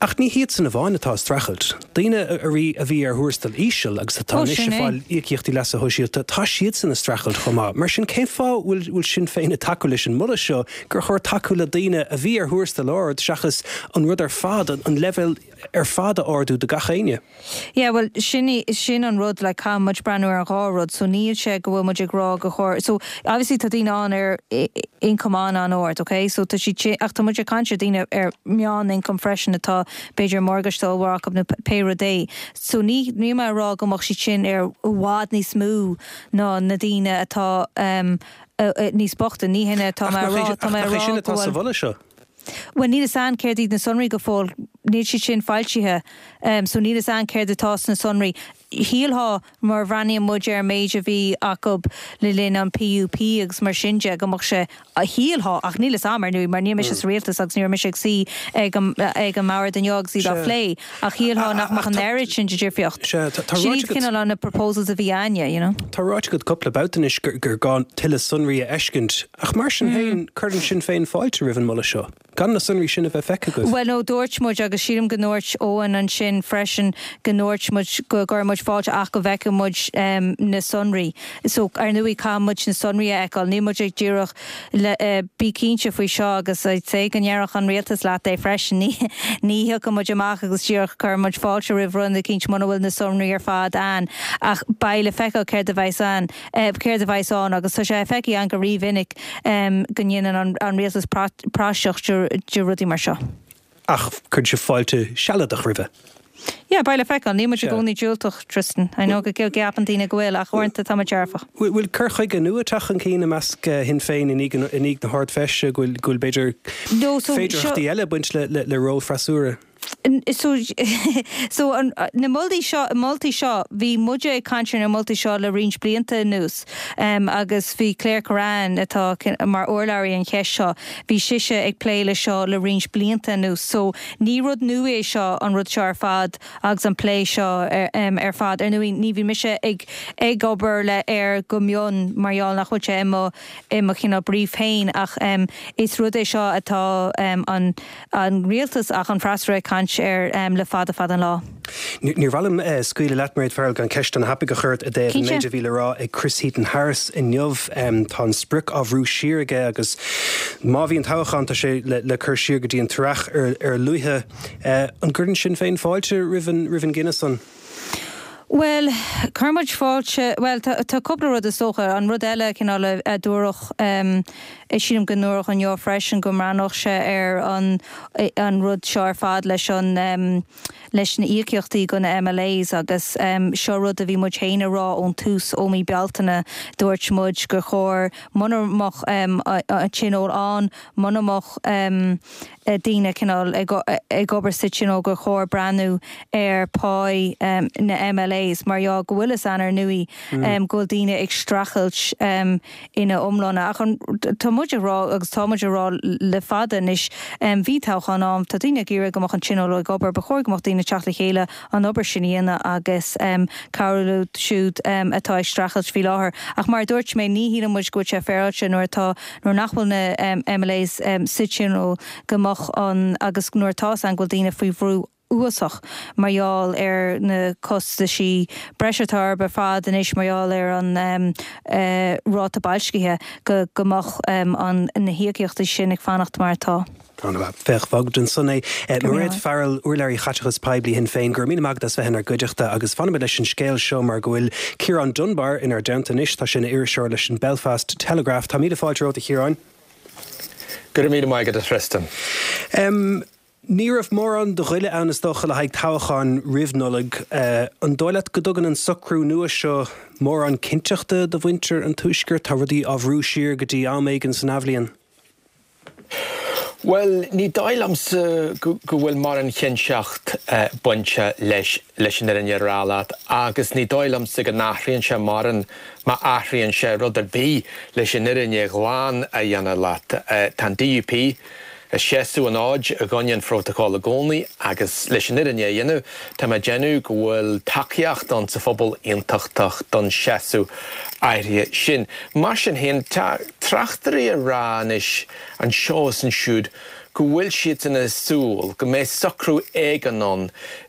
Ach ní hiadsan amháin atá ag streachailt. Daoine a bhí ar thuarastal íseal agus atá anois ag fáil íocaíochtaí leasa shóisialta, tá siadsan ag streachailt chomh maith. Mar sin, cén fáth bhfuil Sinn Féin ag tacú leis an moladh seo gur chóir tacú le daoine a bhí ar thuarastal ard seachas an rud ar fad, an leibhéal ar fad a ardú do gach éinne? Yeah, well, sin sin an rud, like, caithfidh muid breathnú ar an dhá rud, so níl sé go bhfuil muid ag rá gur chóir, so obviously tá daoine ann ar income an-ard, ok, so tá siad, ach tá muid ag caint ar daoine ar meán-income freisin atá b'fhéidir morgáiste ollmhór acu nó pé rud é, so ní níl mé ag rá go mbeadh siad sin ar i bhfad níos mó ná na daoine atá um, níos boichte, ní hin atá mé a rá, tá mé a rá sin atá sa mholadh seo. Bhuel, níl fhios a'inn céard iad na sonraí go fóill, níl siad sin foilsithe, so níl fhios a'inn céard atá sna sonraí. Shílfeá, mar a bhreathnaíonn muid ar an méid a bhí acu le linn an PUP agus mar sin de, go mbeadh sé, shílfeá, ach níl fhios a'm, ar ndóigh, mar níl mise sa rialtas agus ní raibh mise ag suí ag an ag an mbord inniu agus iad á phlé, ach shílfeá nach mbeadh an oiread sin de dhifríocht. Sin iad cineál na proposals a bhí a'inne, you know. Tá ráite agat cúpla babhta anois gur gá tuilleadh sonraí a fheiscint, ach mar sin féin, cuireann Sinn Féin fáilte roimh an moladh seo. Gan na sonraí sin a bheith feicthe agaibh. Bhuel, no, dúirt muid, agus sílim go ndúirt Eoin ansin freisin, go ndúirt muid go gcuireann muid fáilte ach go bhfeicfidh muid na sonraí. So, ar ndóigh, caithfidh muid na sonraí a fheiceáil. Níl muid ag díreach le, bí cinnte faoi seo agus I'd say go ndéarfadh an rialtas leat é freisin, ní, ní thiocfaidh muid amach agus díreach cuireann muid fáilte roimh rud eicínt muna bhfuil na sonraí ar fad ann. Ach beidh le feiceáil céard a bheas ann, céard a bheas ann agus tá sé feicthe againn go rímhinic go ndéanann an rialtas praiseach de rudaí mar seo. Ach cuireann sibh fáilte sealadach roimhe. Yeah, beidh le feiceáil. Níl muid i gcónaí diúltach, Tristan. I know go gceapann daoine go bhfuil, ach uaireanta tá muid dearfach. Bhfuil cur chuige nua ag teacht chun cinn i measc Shinn Féin i ndiaidh na hArd-Fheise, go bhfuil b'fhéidir féidearthachtaí eile ag baint le ról freasúra? So, so an, na moltaí seo, moltaí seo, bhí muide ag caint ar na moltaí seo le roinnt blianta anuas um, agus bhí Claire Kerrane atá mar urlabhraí an cheist seo, bhí sise ag plé le seo le roinnt blianta anuas. So ní rud nua é seo an rud seo ar fad agus an plé seo ar, um, ar fad. Ar ndóigh ní bhí mise ag, ag obair le air go mion mar gheall nach bhfuil sé i mo, i mo chineál brief féin ach um, is rud é seo atá um, an, an rialtas ach an freasúra ag caint air le fada fada an lá. Níor mhaith liom scaoileadh leat, Mairéad Farrell, gan ceist an-thapaidh a chur ort i dtaobh an méid a bhí le rá ag Chris Heaton-Harris inniu. Tá an sprioc á bhrú siar aige agus má bhíonn toghchán tá sé le cur siar go dtí an t-earrach ar a luaithe. An gcuireann Sinn Féin fáilte roimh an gcinneadh san? Bhuel, cuireann muid fáilte, bhuel, tá cúpla rud is dócha. An rud eile cineál a dúradh, sílim go ndúradh inniu freisin go mbreathnódh sé ar an an rud seo ar fad leis an leis na íocaíochtaí go na MLAs agus seo rud a bhí muid féin a rá ón tús ó mí Bealtaine, dúirt muid gur chóir muna mbeadh an tionól ann, muna mbeadh daoine cineál ag obair sa tionól gur chóir breathnú ar pá na MLAs mar gheall go bhfuil fhios a'inn ar ndóigh go bhfuil daoine ag streachailt ina iomláine. Ach tá muid ag rá agus tá muid ag rá le fada anois bhí toghchán ann, tá daoine ag iarraidh go mbeadh an tionól ag obair, ba chóir go mbeadh daoine ag teacht le chéile an obair sin a dhéanamh agus cabhrú leo siúd atá ag streachailt faoi láthair. Ach mar a dúirt mé ní shíleann muid go bhfuil sé féaráilte nuair atá nuair nach bhfuil na MLAs sa tionól go mbeadh an agus nuair atá fhios a'inn go bhfuil daoine faoi bhrú uafásach mar gheall ar na costaisí breise atá orthu ar fad anois mar gheall ar an ráta boilscithe go go mbeadh an na híocaíochtaí sin ag fanacht mar atá. An-mhaith. Féach, fágfaidh muid ansan é. Mairéad Farrell, urlabhraí Chaiteachas Poiblí Shinn Féin, go raibh míle maith agat as bheith inár gcuideachta agus fanfaimid leis an scéal seo mar go bhfuil Ciarán Dunbar inár dteannta anois, tá sé ina iriseoir leis an Belfast Telegraph. Tá míle fáilte romhat a Chiaráin. Go raibh míle maith agat a Tristan. Um, ní raibh mórán de ghoile ann is dócha le haghaidh toghcháin roimh Nollaig. Uh, an dóigh leat go dtugann an socrú nua seo mórán cinnteachta do mhuintir an Tuaiscirt? Tá rudaí á bhrú siar go dtí am éigin san athbhliain. Bhuel, ní dóigh liomsa go bhfuil mórán cinnteacht bainte leis leis an fhírinne a rá leat agus ní dóigh liomsa go n-athraíonn sé mórán má athraíonn sé rud ar bith leis an fhírinne ghlan a dhéanamh leat. Tá an DUP ag seasamh an fhóid i gcoinne an phrótacail i gcónaí agus leis an fhírinne a dhéanamh, tá mé ag déanamh go bhfuil tacaíocht ann sa phobal aontachtach don seasamh áirithe sin. Mar sin féin, tá tráchtairí ag rá anois anseo is ansiúd go bhfuil siadsan ag súil go mbeidh socrú éigin ann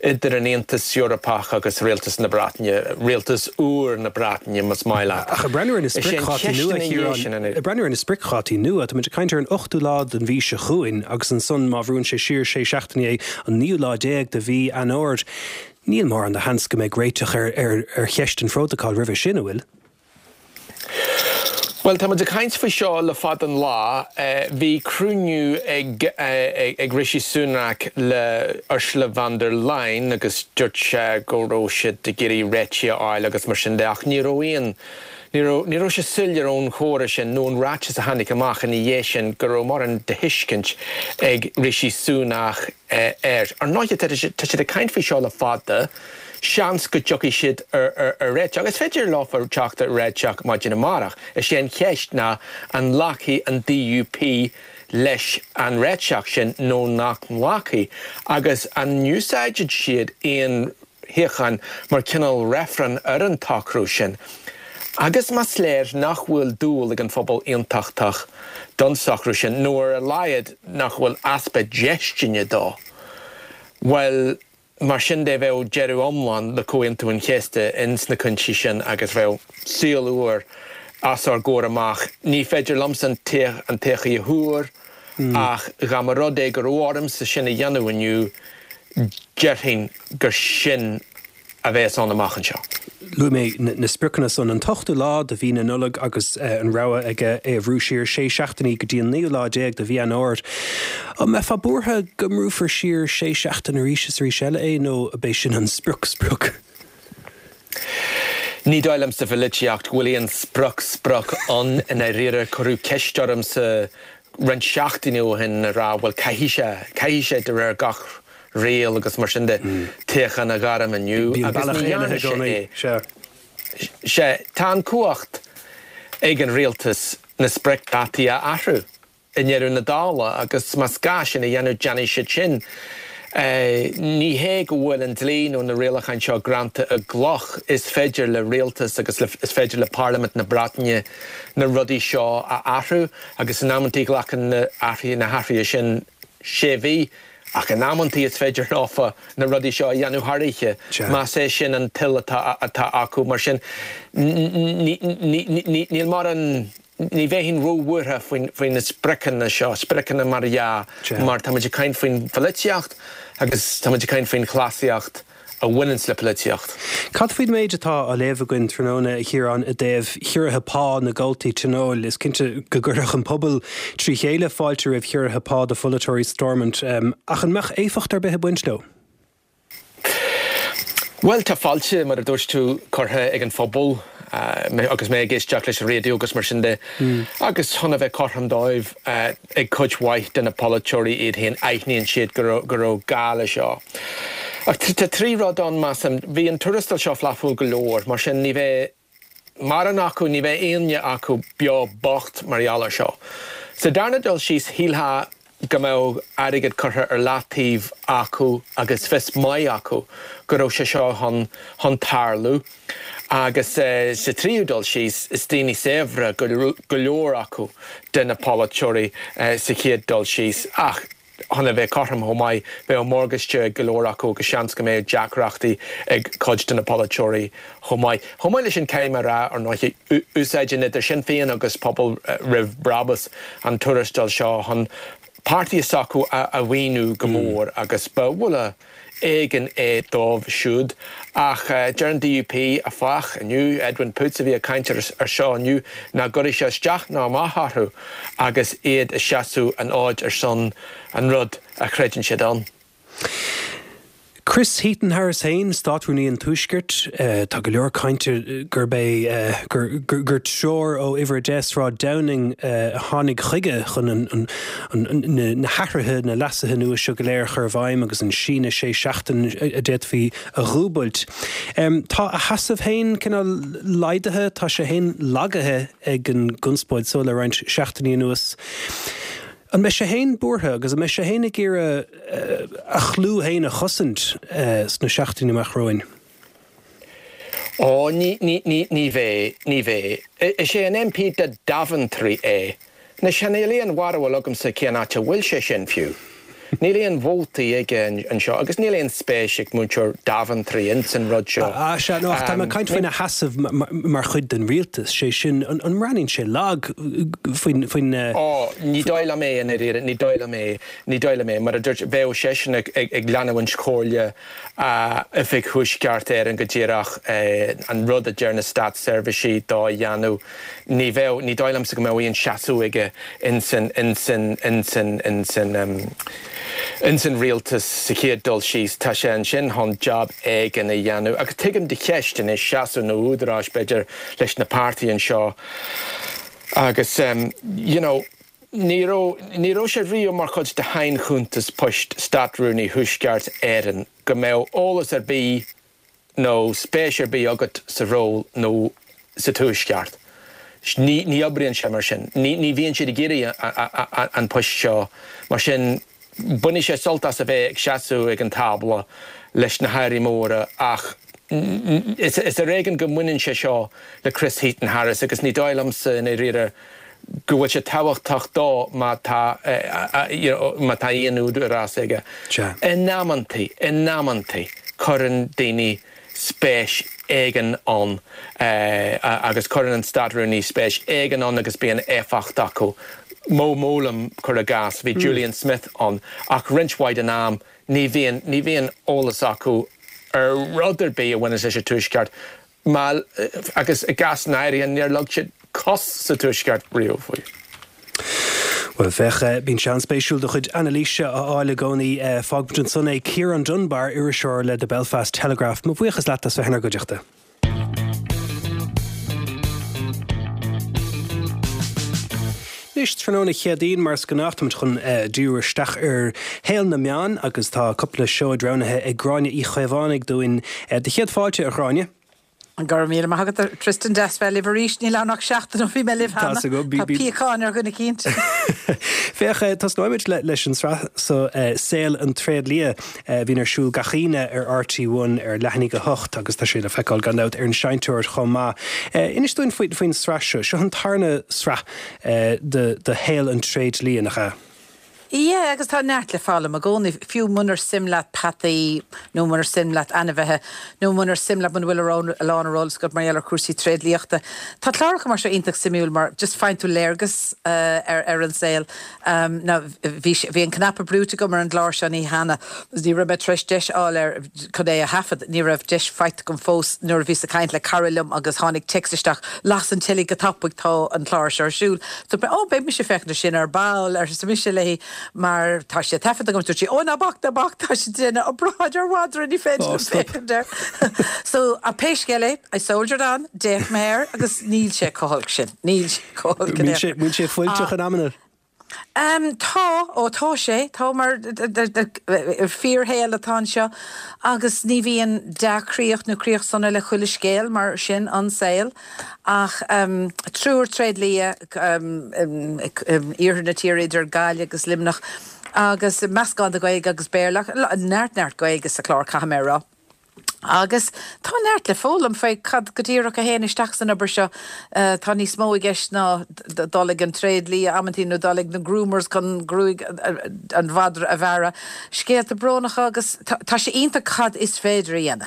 idir an Aontas Eorpach agus Rialtas na Breataine, Rialtas úr na Breataine, más maith leat. Ach ag breathnú ar na spriocdhátaí nua, a Chiaráin, ag breathnú ar na spriocdhátaí nua, tá muid ag caint ar an ochtú lá den mhí seo chugainn agus ansan má bhrúnn sé siar sé seachtainí é, an naoú lá déag de mhí Eanáir. Níl mórán de sheans go mbeidh réiteach ar cheist an phrótacail roimhe sin, an bhfuil? Bhuel, tá muid ag caint faoi seo le fada an lá. Bhí cruinniú ag ag Rishi Sunak le Ursula von der Leyen agus dúirt sé go raibh siad ag iarraidh réitigh a fháil agus mar sin de ach ní raibh aon ní raibh ní raibh sé soiléir ón chomhrá sin nó an ráiteas a tháinig amach ina dhiaidh sin go raibh mórán de thuiscint ag Rishi Sunak air. Ar ndóigh tá siad ag caint faoi seo le fada. Seans go dtiocfaidh siad ar réiteach. Is féidir leo teacht ar réiteach maidin amárach. Is é an cheist ná an nglacfaidh an DUP leis an réiteach sin nó nach nglacfaidh agus an n-úsáidfidh siad aon shuíochán mar chineál reifreann ar an tsocrú sin. Agus más léir nach bhfuil dúil ag an phobal aontachtach don socrú sin, nó ar a laghad nach bhfuil easpa déistine dó, bhuel, Mar sin de bheadh deireadh iomlán le Comhaontú an Chéasta ins na cúinsí sin agus bheadh saol úr os ár gcomhair amach. Ní féidir liomsa an todhchaí a thuar ach dá mba rud é go raibh ormsa sin a dhéanamh inniu, déarfainn gur sin a bheas ann amach anseo. Luaigh mé na spriocanna san, an t-ochtú lá de mhí na Nollag agus an rogha aige é a bhrú siar sé seachtainí go dtí an naoú lá déag de mhí Eanáir. An mbeifeá buartha go mbrúfar siar sé seachtain arís is arís eile é nó ab é sin an sprioc sprioc? Ní dóigh liom sa pholaitíocht go bhfuil aon sprioc sprioc ann i ndáiríre. Cuireadh ceist ormsa roinnt seachtainí ó shin ag rá bhuel caithfidh sé, caithfidh sé de réir gach riail agus mar sin de, toghchán a ghairm inniu agus ní dhearna sé é. Sea, tá an cumhacht ag an rialtas na spriocdhátaí a athrú i ndeireadh na dála agus más gá sin a dhéanamh déanfaidh siad sin. Ní hé go bhfuil an dlí nó na rialacháin seo greanta i gcloch, is féidir le rialtas agus is féidir le Parlaimint na Breataine na rudaí seo a athrú agus in amantaí glacann na hathruithe sin sé mhí. Ach in amantaí is féidir leofa na rudaí seo a dhéanamh thar oíche, más é sin an toil atá acu. Mar sin, níl mórán, ní bheinn róbhuartha faoi na spriocanna seo, spriocanna mar dhea, mar tá muid ag caint faoin pholaitíocht agus tá muid ag caint faoin chleasaíocht. a bhaineanns le polaitíocht. Cad faoin méid atá á léamh againn tráthnóna, a Chiaráin, i dtaobh chiorruithe pá na gcomhaltaí tionóil? Is cinnte go gcuirfeadh an pobal trí chéile fáilte roimh chiorruithe pá do pholaiteoirí Stormont, ach an mbeadh éifeacht ar bith ag baint leo? Bhuel, tá fáilte, mar a dúirt tú, curtha ag an phobal agus mé ag éisteacht leis an raidió agus mar sin de. Agus chun a bheith cothrom dóibh, ag cuid mhaith de na polaiteoirí iad féin, aithníonn siad go raibh gá le seo. Ach tá trí rud ann, measaim. Bhí an tuarastal seo flaithiúil go leor, mar sin ní bheidh mórán acu, ní bheidh éinne acu beo bocht mar gheall air seo. Sa darna dul síos, shílfeá go mbeadh airgead curtha ar leataobh acu agus fios maith acu go raibh sé seo chun chun tarlú. Agus sa tríú dul síos, is daoine saibhre go leor acu de na polaiteoirí sa chéad dul síos. Ach. Chun a bheith cothrom chomh maith, bheadh morgáiste ag go leor acu agus seans go mbeadh deacrachtaí ag cuid de na polaiteoirí chomh maith. Chomh maith leis sin, caithfidh mé a rá, ar ndóigh, úsáideann idir Sinn Féin agus Pobal Roimh Brabús an tuarastal seo chun páirtithe s'acu a mhaoiniú go mór agus ba bhuille éigin é dóibh siúd. Ach deir an DUP, áfach, inniu, Edwin Poots a bhí ag caint ar seo inniu, nach gcuirfidh sé isteach ná amach orthu agus iad ag seasamh an fhóid ar son an rud a chreideann siad ann. Chris Heaton-Harris féin, Státrúnaí an Tuaiscirt, tá go leor cainte gurb é gur treoir ó Uimhir a deich Sráid Downing a tháinig chuige chun na hathruithe, na leasuithe nua seo go léir a chur i bhfeidhm agus an síneadh sé seachtain a d'fhéadfaí a dhúbailt. Tá a sheasamh féin cineál laghdaithe, tá sé féin lagaithe ag an gconspóid so le roinnt seachtainí anuas. An mbeidh sé féin buartha agus an mbeidh sé féin ag iarraidh a chlú féin a chosaint sna seachtainí amach romhainn? Ó, ní, ní, ní, ní bheidh, ní bheidh. Is é an MP do Daventry é. Anois, níl aon bharúil agamsa cén áit a bhfuil sé sin fiú. Níl aon vótaí aige anseo agus níl aon spéis ag muintir Daventry ins an rud seo. Ah, sea, no, ach tá mé ag caint faoina sheasamh mar chuid den rialtas, sé sin, an mbreathnaíonn sé lag faoin, faoin. Ó, ní dóigh liom é, i ndáiríre, ní dóigh liom é, ní dóigh liom é. Mar a dúirt, bheadh seisean ag, ag leanúint chomhairle Oifig Thuaisceart Éireann go díreach, an rud a deir na státseirbhísigh dó a dhéanamh. Ní bheadh, ní dóigh liomsa go mbeadh aon seasamh aige ins an, ins an, ins an, ins an, ins an rialtas sa chéad dul síos. Tá sé ansin chun jab éigin a dhéanamh. Agus tuigim do cheist anois, seasamh nó údaráis b'fhéidir leis na páirtí anseo agus you know, ní raibh, ní raibh sé riamh mar chuid de shainchuntas poist Státrúnaí Thuaisceart Éireann go mbeadh eolas ar bith nó spéis ar bith agat sa ról nó sa Tuaisceart. Ní, ní oibríonn sé mar sin. Ní, ní bhíonn siad ag iarraidh an post seo. Mar sin, bainfidh sé sult as a bheith ag seasamh ag an tábla leis na hairí móra ach is, is ar éigean go mbaineann sé seo le Chris Heaton-Harris agus ní dóigh liomsa i ndáiríre go bhfuil sé tábhachtach dó má tá, you know, má tá aon údarás aige. In amantaí, in amantaí, cuireann daoine spéis éigin ann agus cuireann an Státrúnaí spéis éigin ann agus bíonn éifeacht acu. Mo Mowlam, cuir i gcás, bhí Julian Smith ann ach roinnt mhaith den am ní bhíonn, ní bhíonn eolas acu ar rud ar bith a bhaineas leis an Tuaisceart. Má, agus i gcásanna áirithe níor leag siad cos sa Tuaisceart riamh faoi. Bhuel, féach, bíonn sé an-spéisiúil do chuid anailíse a fháil i gcónaí. Fágfaimid ansan é. Ciarán Dunbar, iriseoir le The Belfast Telegraph, mo bhuíochas leat as bheith inár gcuideachta. Anois, tráthnóna Chéadaoin, mar is gnách, táimid chun díriú isteach ar shaol na meán agus tá cúpla seoid roghnaithe ag Gráinne Uí Chaomhánaigh dúinn. Do chéad fáilte, a Ghráinne. Go raibh míle maith agat, a Tristan. Deas bheith libh arís. Níl ann ach seachtain ó bhí mé libh cheana. Tá píocáin ar dhuine eicínt. Féach, tosnóimid leis an tsraith so, Saol an Tréidlia, a bhíonn ar siúl gach Aoine ar RTÉ One ar leath i ndiaidh a hocht agus tá sé le feiceáil gan dabht ar an seinnteoir chomh maith. Inis dúinn faoin tsraith seo. Seo an tarna sraith de Shaol an Tréidlia, nach ea? Yeah, agus tá neart le foghlaim i gcónaí, fiú munar suim leat peataí nó munar suim leat ainmhithe nó munar suim leat, muna bhfuil a lán ar eolas agat mar gheall ar chúrsaí tréidliachta. Tá cláracha mar seo iontach suimiúil mar just faigheann tú léargas ar ar an saol. Now bhí bhí an cnaipe brúite agam ar an gclár seo an oíche cheana agus ní raibh mé tar éis deis a fháil air chun é a thaifead. Ní raibh deis faighte agam fós nuair a bhíos ag caint le cara liom agus tháinig téacs isteach, las an teilí go tapaidh tá an clár seo ar siúl. Dúirt mé, oh beidh mise ag féachaint air sin ar ball, arsa mise léi. Mar tá sé taifeadta agam, dúirt sí, ó ná bac, ná bac, tá sé ag déanamh obráid ar mhadra, ní féidir liom féachaint air. So, ach pé scéal é, I soldiered on, d'fhéach mé air agus níl sé chomh holc sin, níl sé chomh holc in aon chor. Bíonn sé fuilteach in amanna? Um, tá, ó tá sé, tá mar fíorshaol atá anseo agus ní bhíonn dea-chríoch nó críoch sona le chuile scéal mar sin an saol. Ach triúr tréidlia, iarthar na tíre idir Gaillimh agus Luimneach, agus meascán de Ghaeilge agus Béarla, neart neart Gaeilge sa chlár caithfidh mé a rá. Agus tá neart le foghlaim faoi cad go díreach a théann isteach san obair seo. Tá níos mó i gceist ná dul ag an tréidlia amantaí nó dul ag na groomers chun gruaig an mhadra a bhearradh. Scéalta brónacha agus tá sé iontach cad is féidir a dhéanamh.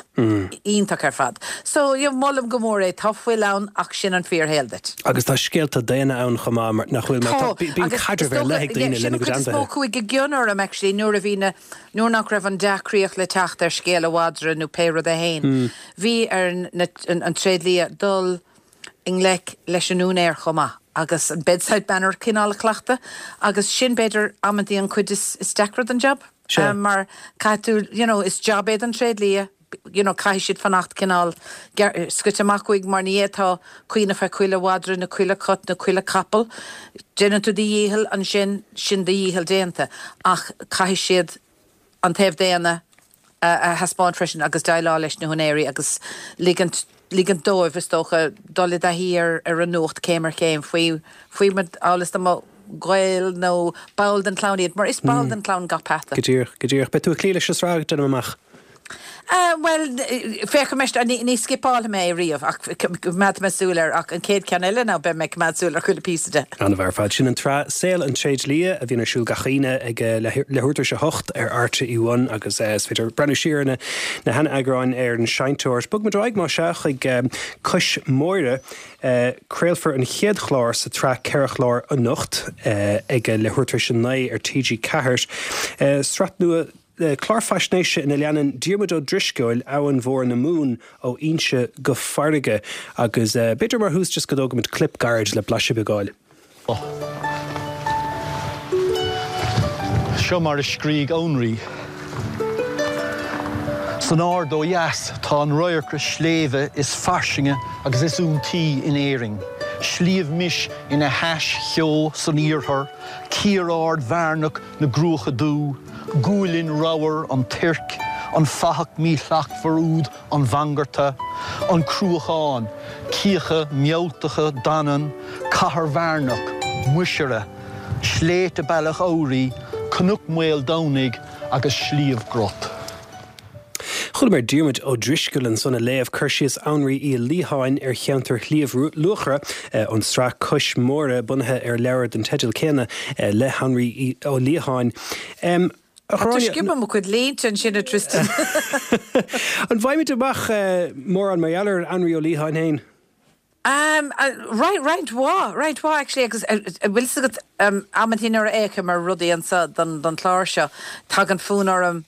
Iontach ar fad. So, yeah, molaim go mór é. Tá fuil ann ach sin an fíorshaol duit. Agus tá scéalta daonna ann chomh maith, nach bhfuil? Mar tá, bíonn caidreamh ar leith ag daoine lena gcuid ainmhithe. Sin an chuid is mó a chuaigh i gcion orm actually nuair a bhí na, nuair nach raibh an dea-chríoch le teacht ar scéal an mhadra nó pé rud é fhéin. Bhí ar na, an tréidlia dul i ngleic leis an úinéir chomh maith agus an bedside manner cineál a chleachtadh agus sin b'fhéidir amantaí an chuid is, is deacra den jab. Mar caithfidh tú, you know, is jab é don tréidlia, you know, caithfidh siad fanacht cineál scoite amach uaidh mar ní fhéadfá cuimhneamh ar chuile mhadra nó chuile chat nó chuile capall. Déanann tú do dhícheall ansin, sin do dhícheall déanta ach caithfidh siad an taobh daonna a thaispeáint freisin agus déileáil leis na húinéirí agus ligint ligint dóibh is dócha dul i dtaithí ar ar an nuacht céim ar chéim faoi faoi mar amhail is dá mba gaol nó ball den chlann iad mar is ball den chlann gach peata. Go díreach, go díreach. Beidh tú ag cloí leis an sraith, déanaim amach. Bhuel, féachfaidh mé, ní scipeálfaidh mé é riamh ach coimeádfaidh mé súil air ach an chéad cheann eile ná beidh mé ag coimeád súil ar chuile phíosa de. An-mhaith ar fad. Sin an tsraith Saol an Tréidlia a bhíonn ar siúl gach Aoine ag leathuair tar éis a hocht ar RTÉ One agus is féidir breathnú siar ar na sean-eagráin ar an seinnteoir. Bogfaimid ar aghaidh más ea chuig Cois Móire. Craolfar an chéad chlár sa tsraith ceithre chlár anocht ag leathuair tar éis a naoi ar T G ceathair. Sraith nua clár faisnéise ina leanann Diarmuid Ó Drisceoil Abhainn Mhór na Mumhan ó fhoinse go farraige agus b'fhéidir mar thús just go dtógfaimid clip gairid le blaiseadh beag a fháil. Seo mar a scrígh Anraí. San Aird ó dheas tá an radharcra sléibhe is fairsinge agus is iontaí in Éirinn, Sliabh Mis ina hais cheo san iarthar, cíor ard bhearnach na gCruacha Dubha, gualainn ramhar an Tuirc, an fathach míshlachtmhar úd an Mhangarta, an Cruachán, cíocha mealltacha Danann, Cathair Bhearnach, Muisire, Sléibhte Bealach Owraí, Cnoc Mhaoldomhnaigh agus Sliabh gCrot. Chualamar Diarmuid Ó Drisceoil ansan ag léamh cur síos Anraí Uí Liatháin ar cheantar Shliabh Luachra ón tsraith Cois Móire, bunaithe ar leabhar den teideal céanna le hAnraí Ó Liatháin. A Tá Ghráinne, sciobadh mo chuid línte ansin, a Tristan. An bhfaighimid amach mórán mar gheall ar Anraí Ó Liatháin féin? Roinnt, roinnt mhaith, roinnt mhaith actually agus bhfuil fhios agat amantaí nuair a fhéachaim ar rudaí anseo don don chlár seo, tagann fonn orm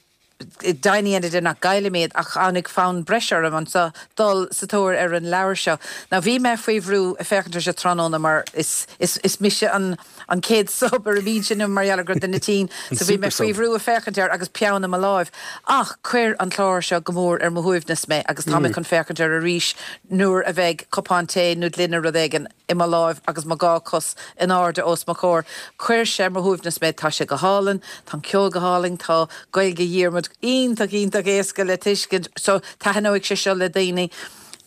deimhin a dhéanamh de nach gcaillim iad ach tháinig fonn breise orm anseo dul sa tóir ar an leabhar seo. Now bhí mé faoi bhrú ag féachaint air seo tráthnóna mar is is is mise an an chéad sub ar an mbinse inniu mar gheall ar go raibh duine tinn so bhí mé faoi bhrú ag féachaint air agus peann i mo láimh. Ach chuir an clár seo go mór ar mo shuaimhneas mé agus tá mé chun féachaint air arís nuair a bheidh cupán tae nó gloine rud éigin i mo láimh agus mo dhá chos in airde os mo chomhair. Chuir sé ar mo shuaimhneas mé. Tá sé go hálainn, tá an ceol go hálainn, tá Gaeilge Dhiarmuid iontach iontach éasca le tuiscint. So taitneoidh sé seo le daoine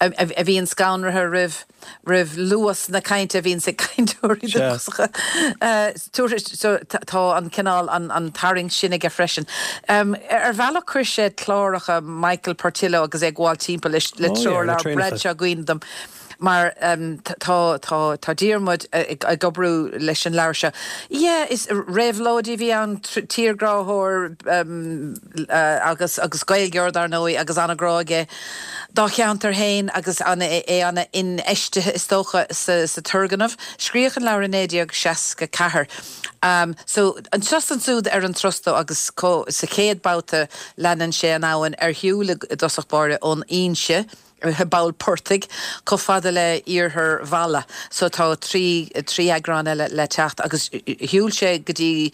a a bhíonn scanraithe roimh roimh luas na cainte a bhíonns ag cainteoirí dúchasacha. So tá an cineál an an tarraingt sin aige freisin. Ar bhealach chuir sé cláracha Michael Portillo agus é ag gabháil timpeall le le treoirleabhar Bradshaw i gcuimhne dom. Mar tá tá tá Diarmuid ag oibriú leis an leabhar seo. Yeah, is réabhlóidí a bhí ann, tírghráthóir agus agus Gaeilgeoir dar ndóigh agus an-ghrá aige dá cheantar féin agus é an-infheistithe is dócha sa sa turgnamh. Scríodh an leabhar i naoi déag seasca ceathair. So anseo is ansiúd ar an turas dó agus sa chéad babhta leanann sé an abhainn ar shiúl i dtosach báire ón fhoinse, i bpoll portaigh, chomh fada le iarthar Mhalla. So tá trí trí eagrán eile le teacht agus shiúil sé go dtí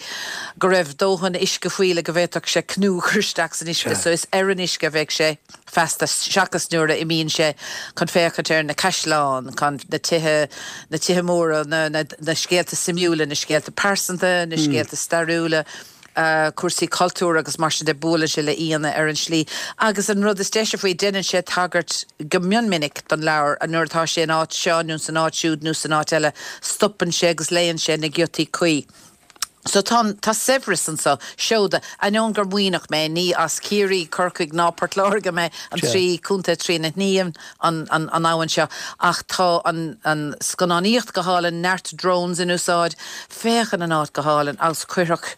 go raibh dóthain uisce faoi le go bhféadfadh sé canú a chur isteach san uisce. So is ar an uisce a bheidh sé feasta seachas nuair a imíonn sé chun féachaint ar na caisleáin, chun na tithe, na tithe móra, na na na scéalta suimiúla, na scéalta pearsanta, na scéalta stairiúla. cúrsaí cultúir agus mar sin de, buaileann sé le aíonna ar an slí. Agus an rud is deise faoi, déanann sé tagairt go mion minic don leabhar, nuair atá sé in áit seo nó san áit siúd nó san áit eile, stopann sé agus léann sé na giotaí cuí. So tá, tá saibhreas anseo, seoda. Ainneoin gur Muimhneach mé, ní as Ciarraí, Corcaigh ná Port Láirge mé, an trí chontae trína shníomhann an, an, an abhainn seo, ach tá an, an scannánaíocht go hálainn, neart drones in úsáid, Féachann an áit go hálainn agus cuirfeadh,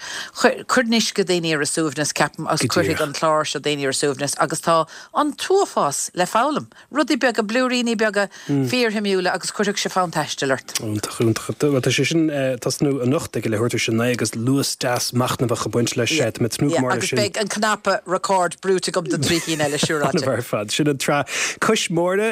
cuireann uisce daoine ar a suaimhneas, ceapaim, agus cuirfidh an clár seo daoine ar a suaimhneas agus tá an t-uafás le foghlaim. Rudaí beaga, blúiríní beaga fíorshuimiúla agus cuirfidh sé fonn taistil ort. Iontach, iontach. Bhuel, tá sé sin ag tosnú anocht ag a leathuair tar éis a naoi agus luas deas machnamhach ag baint leis. Tá mé ag tnúth go mór leis Agus sin. beidh an cnaipe record brúite agam do trí cinn eile siúráilte. Ar fad. Sin an tsraith Cois Móire,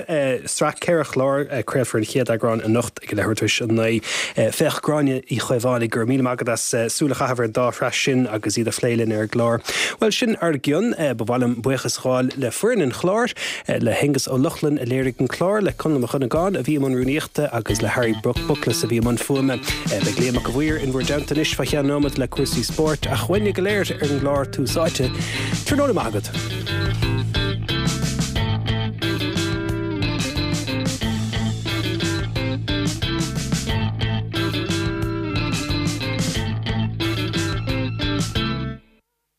sraith ceithre chlár, craolfar an chéad eagrán anocht ag leathuair tar éis a naoi. Féach Gráinne Uí Chaomhánaigh, go raibh míle maith agat as súil a chaitheamh ar an dá shraith sin agus iad a phlé linn ar an gclár. Bhuel, sin ár gcionn. Ba mhaith liom buíochas a ghabháil le foireann an chláir, le hAonghus Ó Lochlainn a léirigh an clár, le Conall Mac Dhonnagáin a bhí i mbun rúnaíochta agus le Harry Buckless a bhí i mbun fuaime. Beidh Liam Mac a' Mhaoir in bhur dteannta anois fá cheann nóiméad le cúrsaí spóirt ach uainne go léir ar an gclár Tús Áite. Tráthnóna maith agat.